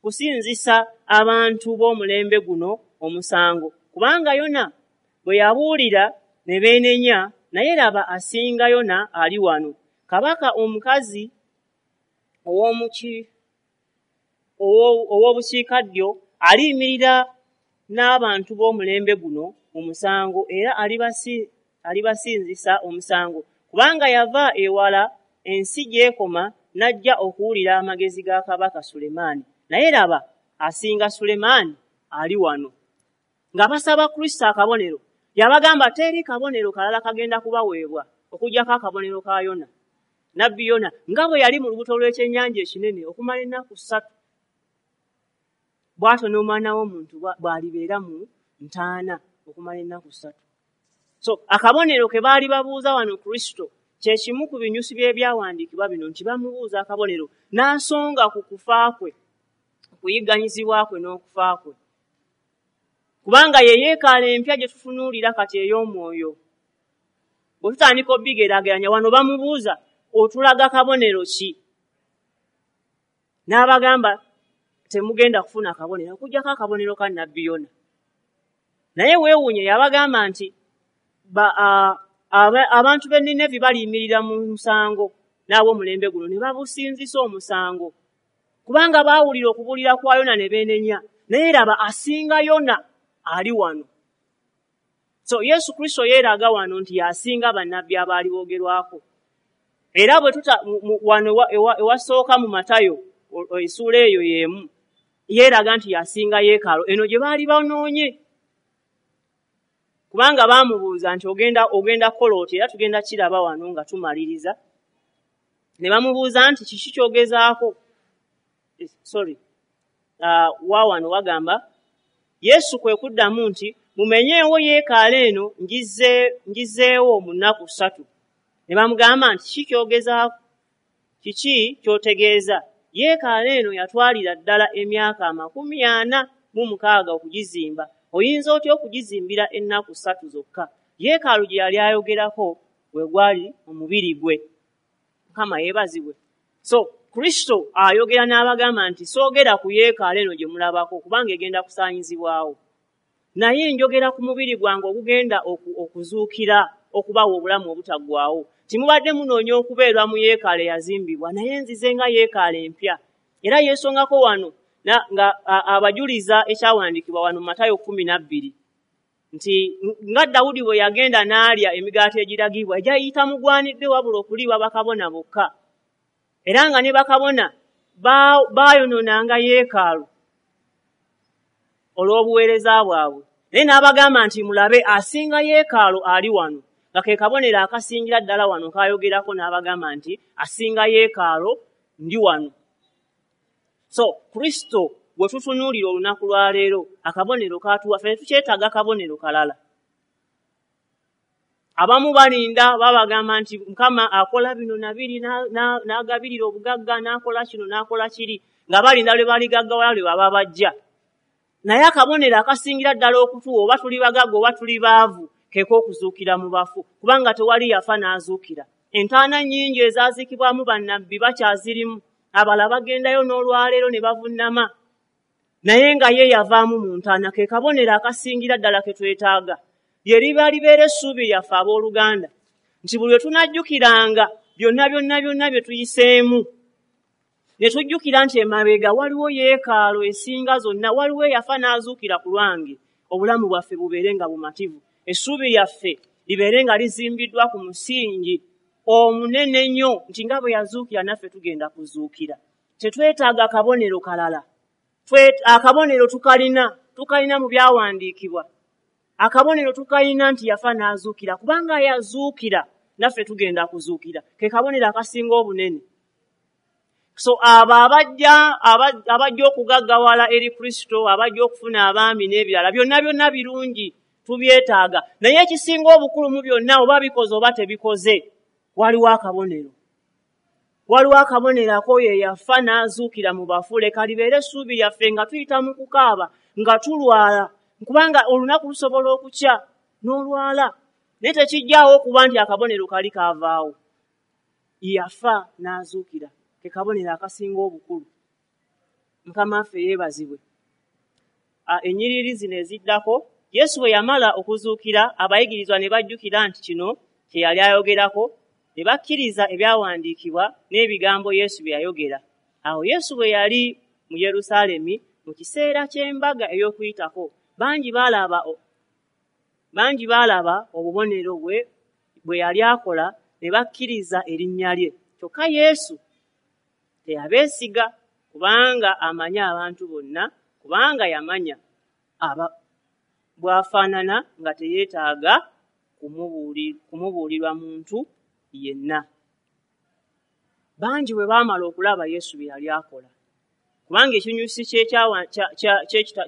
kusinzisa abantu b'omulembe guno omusango, kubanga Yona bwe yabuulira ne beenenya, naye laba asinga Yona ali wano. Kabaka omukazi ow'obukiikaddyo aliyimirira n'abantu b'omulembe guno mu musango, era alibasinzisa omusango, kubanga yava ewala ensi gy'ekoma n'ajja okuwulira amagezi ga Kabaka Sulemaani. Naye laba asinga Sulemaani ali wano. Nga basaba Kristo akabonero, yabagamba teri kabonero kalala kagenda kubaweebwa okuggyako akabonero ka Yona, nnabbi Yona, nga bwe yali mu lubuto lw'ekyennyanja ekinene okumala ennaku ssatu, bw'atyo n'Omwana w'Omuntu bw'alibeera mu ntaana okumala ennaku ssatu. So akabonero ke baali babuuza wano Kristo kye kimu ku binyusi by'ebyawandiikibwa bino nti bamubuuza akabonero n'asonga ku kufa kwe, okuyigganyizibwa kwe n'okufa kwe, kubanga ye yeekaala empya gye tutunuulira kati ey'omwoyo. Bwe tutandika obigeraageranya wano bamubuuza otulaga kabonero ki? N'abagamba temugenda kufuna kabonero okuggyako akabonero ka Nnabbi Yona. Naye weewuunye yabagamba nti abantu b'e Ninevi baliyimirira mu musango n'ab'omulembe guno ne babusinzisa omusango, kubanga baawulira okubuulira kwa Yona ne beenenya. Naye laba asinga Yona ali wano. So Yesu Kristo yeeraga wano nti y'asinga bannabbi abaali boogerwako. Era bwe tuta wano ewasooka mu Matayo essuula eyo y'emu yeeraga nti y'asinga yeekaalu eno gye baali banoonye, kubanga baamubuuza nti ogenda ogenda kukola otya, era tugenda kiraba wano nga tumaliriza. Ne bamubuuza nti kiki ky'ogezaako? Sorry, uh, wa wano wagamba Yesu kwe kuddamu nti mumenyeewo yeekaalo eno ngizeewo mu nnaku ssatu. Ne bamugamba nti kiki ky'ogezaako? Kiki ky'otegeeza? Yeekaalo eno yatwalira ddala emyaka amakumi ana mu mukaaga okugizimba. Oyinza otya okugizimbira ennaku ssatu zokka? Yeekaalu gye yali ayogerako gwe gwali omubiri gwe. Mukama yeebazibwe. So Kristo ayogera n'abagamba nti soogera ku yeekaalo eno gye mulabako kubanga egenda kusaanyizibwawo, naye njogera ku mubiri gwange ogugenda okuzuukira okubawa obulamu obutaggwaawo. Timubadde munoonya okubeerwa mu yeekaalo eyazimbibwa, naye nzize nga yeekaalo empya. Era yeesongako wano nga abajuliza ekyawandiikibwa wano mu Matayo kkumi na bbiri nti nga Dawudi bwe yagenda n'alya emigaati egiragibwa egyayita mugwanidde wabula okuliibwa bakabona bokka, era nga ne bakabona baayonoonanga yeekaalu olw'obuweereza bwabwe. Naye n'abagamba nti mulabe asinga yeekaalu ali wano, nga ke kabonero akasingira ddala wano k'ayogerako, n'abagamba nti asinga yeekaalu ndi wano. So Kristo bwe tutunuulira olunaku lwa leero akabonero katuwa, ffe tetukyetaaga kabonero kalala. Abamu balinda babagamba nti Mukama akola bino na biri, n'agabirira obugagga, n'akola kino n'akola kiri, nga balinda lwe baligaggawala lwe baba bajja. Naye akabonero akasingira ddala okutuwa oba tuli bagagga oba tuli baavu ke k'okuzuukira mu bafu, kubanga tewali yafa n'azuukira. Entaana nnyingi ezaaziikibwamu bannabbi bakyazirimu, abalala bagendayo n'olwaleero ne bavunnama, naye nga ye yavaamu mu ntaana. Ke kabonero akasingira ddala ke twetaaga. Lye liba libeera essuubi lyaffe abooluganda nti buli lwe tunajjukiranga byonna byonna byonna bye tuyiseemu, ne tujjukira nti emabega waliwo yeekaalo esinga zonna, waliwo eyafa n'azuukira ku lwange, obulamu bwaffe bubeere nga bumativu. Essuubi lyaffe libeere nga lizimbiddwa ku musingi omunene nnyo nti nga bwe yazuukira naffe tugenda kuzuukira. Tetwetaaga kabonero kalala. Akabonero tukalina, tukalina mu byawandiikibwa. Akabonero tukalina nti yafa n'azuukira, kubanga yazuukira naffe tugenda kuzuukira. Ke kabonero akasinga obunene. So abo abajja abajja okugaggawala eri Kristo, abajja okufuna abaami n'ebirala, byonna byonna birungi, tubyetaaga. Naye ekisinga obukulu mu byonna, oba bikoze oba tebikoze, waliwo akabonero. Waliwo akabonero ak'oyo eyafa n'azuukira mu bafu. Leka libeere essuubi lyaffe nga tuyita mu kukaaba, nga tulwala, kubanga olunaku lusobola okukya n'olwala, naye tekijjaawo okuba nti akabonero kali kaavaawo. Yafa n'azuukira, ke kabonero akasinga obukulu. Mukama waffe yeebazibwe. Ennyiriri zino eziddako, Yesu bwe yamala okuzuukira, abayigirizwa ne bajjukira nti kino kye yali ayogerako, ne bakkiriza ebyawandiikibwa n'ebigambo Yesu bye yayogera. Awo Yesu bwe yali mu Yerusaalemi mu kiseera ky'embaga ey'Okuyitako, bangi baalaba bangi baalaba obubonero bwe bwe yali akola ne bakkiriza erinnya lye. Kyokka Yesu teyabeesiga, kubanga amanyi abantu bonna, kubanga yamanya aba bw'afaanana nga teyeetaaga kumubuulirwa muntu yenna. Bangi bwe baamala okulaba Yesu bye yali akola, kubanga ekinyusi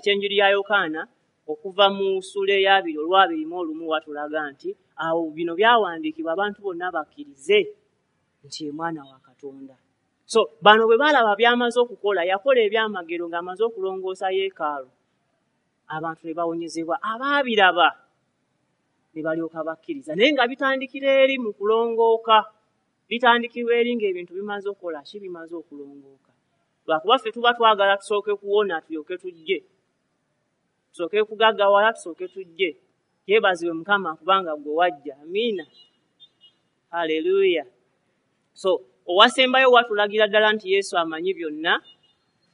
ky'enjiri ya Yokaana okuva mu ssuula ey'abiri olw'abiri mu olumu watulaga nti awo bino byawandiikibwa abantu bonna bakkirize nti ye mwana wa Katonda. So bano bwe baalaba by'amaze okukola, yakola ebyamagero ng'amaze okulongoosa yeekaalu, abantu ne bawonyezebwa. Abaabiraba ne balyoka bakkiriza. Naye nga bitandikira eri mu kulongooka, bitandikirwa eri ng'ebintu bimaze okukola ki, bimaze okulongooka. Lwakuba ffe tuba twagala tusooke kuwona tulyoke tujje, tusooke kugaggawala tusooke tujje. Yeebazibwe Mukama kubanga gwe wajja. Amiina, haleluya. So owasembayo watulagira ddala nti Yesu amanyi byonna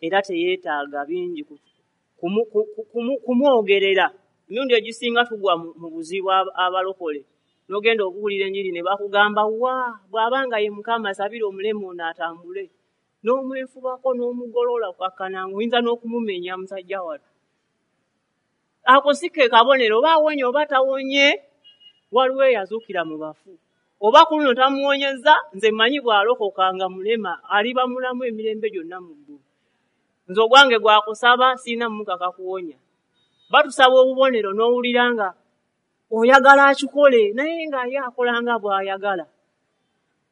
era teyeetaaga bingi kumwogerera. Emirundi egisinga tugwa mu buzibu abalokole, n'ogenda okuwulira enjiri ne bakugamba wa bw'abanga ye Mukama sabira omulema ono atambule, n'omwefubako n'omugolola okukkakkana oyinza n'okumumenya musajja wattu. Ako si ke kabonero, oba awonye oba tawonye, waliwo eyazuukira mu bafu. Oba ku luno tamuwonyeza, nze mmanyi bw'alokoka nga mulema aliba mulamu emirembe gyonna mu ggulu. Nze ogwange gwakusaba, sirina mukaka kuwonya. Batusaba obubonero n'owulira nga oyagala akikole, naye nga ye akola nga bw'ayagala.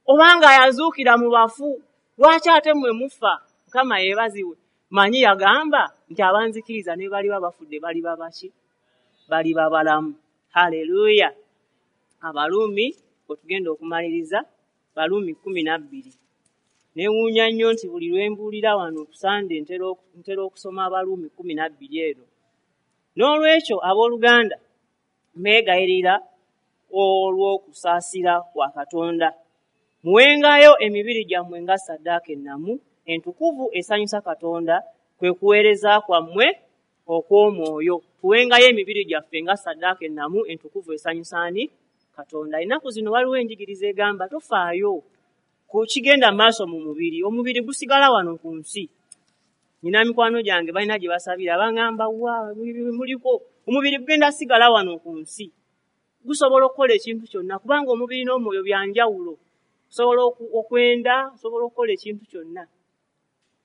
Obanga yazuukira mu bafu, lwaki ate mmwe mufa? Mukama yeebazibwe. Manyi yagamba nti abanzikiriza ne baliba bafudde baliba baki? Baliba balamu. Haleluya. Abaluumi otugenda okumaliriza, Baluumi kkumi na bbiri. Neewuunya nnyo nti buli lwe mbuulira wano ku Sande ntera okusoma Abaluumi kkumi na bbiri eno. N'olwekyo abooluganda mbeegayirira olw'okusaasira kwa Katonda, muwengayo emibiri gyammwe nga ssaddaaka ennamu entukuvu esanyusa Katonda, kwe kuweereza kwammwe okw'omwoyo. Tuwengayo emibiri gyaffe nga ssaddaaka ennamu entukuvu esanyusa ani? Katonda. Ennaku zino waliwo enjigiriza egamba tofaayo ku kigenda maaso mu mubiri, omubiri gusigala wano ku nsi. Nina mikwano gyange balina gye basabira, baŋŋamba wa muliko omubiri gugenda sigala wano ku nsi, gusobola okukola ekintu kyonna kubanga omubiri n'omwoyo bya njawulo. Osobola okwenda, osobola okukola ekintu kyonna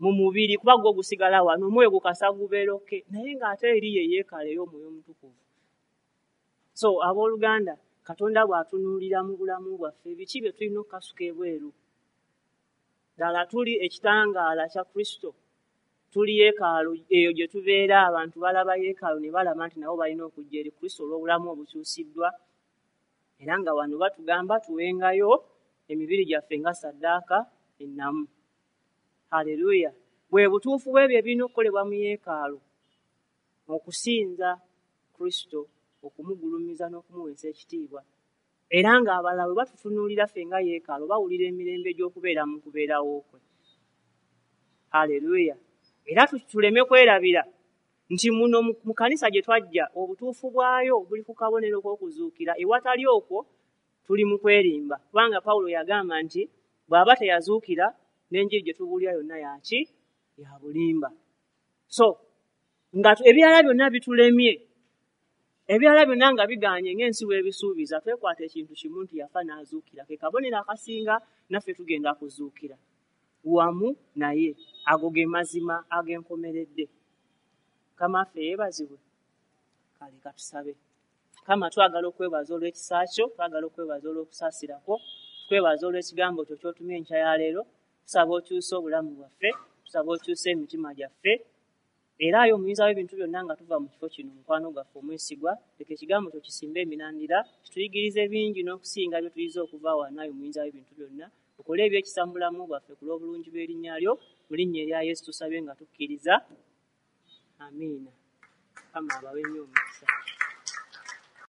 mu mubiri kuba gwo gusigala wano, omwoyo gukasa gubeera okke, naye ng'ate eri ye yeekala ey'omwoyo omutukuvu. So abooluganda, Katonda bw'atunuulira mu bulamu bwaffe, biki bye tulina okukasuka ebweru? Ddala tuli ekitangaala kya Kristo, tuli yeekaalu eyo gye tubeera, abantu balaba yeekaalu ne balaba nti nabo balina okujja eri Kristo olw'obulamu obukyusiddwa. Era nga wano batugamba tuwengayo emibiri gyaffe nga ssaddaaka ennamu. Haleluya. Bwe butuufu bw'ebyo ebirina okukolebwa mu yeekaalu, okusinza Kristo, okumugulumiza n'okumuweesa ekitiibwa. Era ng'abalala bwe batutunuulira ffe nga yeekaalu, bawulira emirembe gy'okubeera mu kubeerawo kwe. Haleluya. Era tuleme kwerabira nti muno mu kanisa gye twajja obutuufu bwayo buli ku kabonero k'okuzuukira. Ewatali okwo tuli mu kwerimba, kubanga Pawulo yagamba nti bw'aba teyazuukira n'enjiri gye tubuulira yonna yaki? Ya bulimba. So nga ebirala byonna bitulemye, ebirala byonna nga biganye ng'ensi bw'ebisuubiza, twekwata ekintu kimu nti yafa n'azuukira, ke kabonero akasinga naffe tugenda kuzuukira wamu naye. Ago ge mazima ag'enkomeredde. Mukama waffe yeebazibwe. Kale katusabe. Mukama, twagala okwebaza olw'ekisa kyo, twagala okwebaza olw'okusaasira kwo, tukwebaza olw'ekigambo kyo ky'otumye enkya ya leero. Tusaba okyuse obulamu bwaffe, tusaba okyuse emitima gyaffe, era ayo omuyinza w'ebintu byonna nga tuva mu kifo kino, mukwano gwaffe omwesigwa, leka ekigambo kyo kisimbe emirandira, kituyigirize bingi n'okusinga bye tuyize okuva wano. Ayo omuyinza w'ebintu byonna, okole ebyekisa mu bulamu bwaffe ku lw'obulungi bw'erinnya lyo. Mu linnya erya Yesu tusabye nga tukkiriza. Amiina. Mukama abawe nnyo omukisa.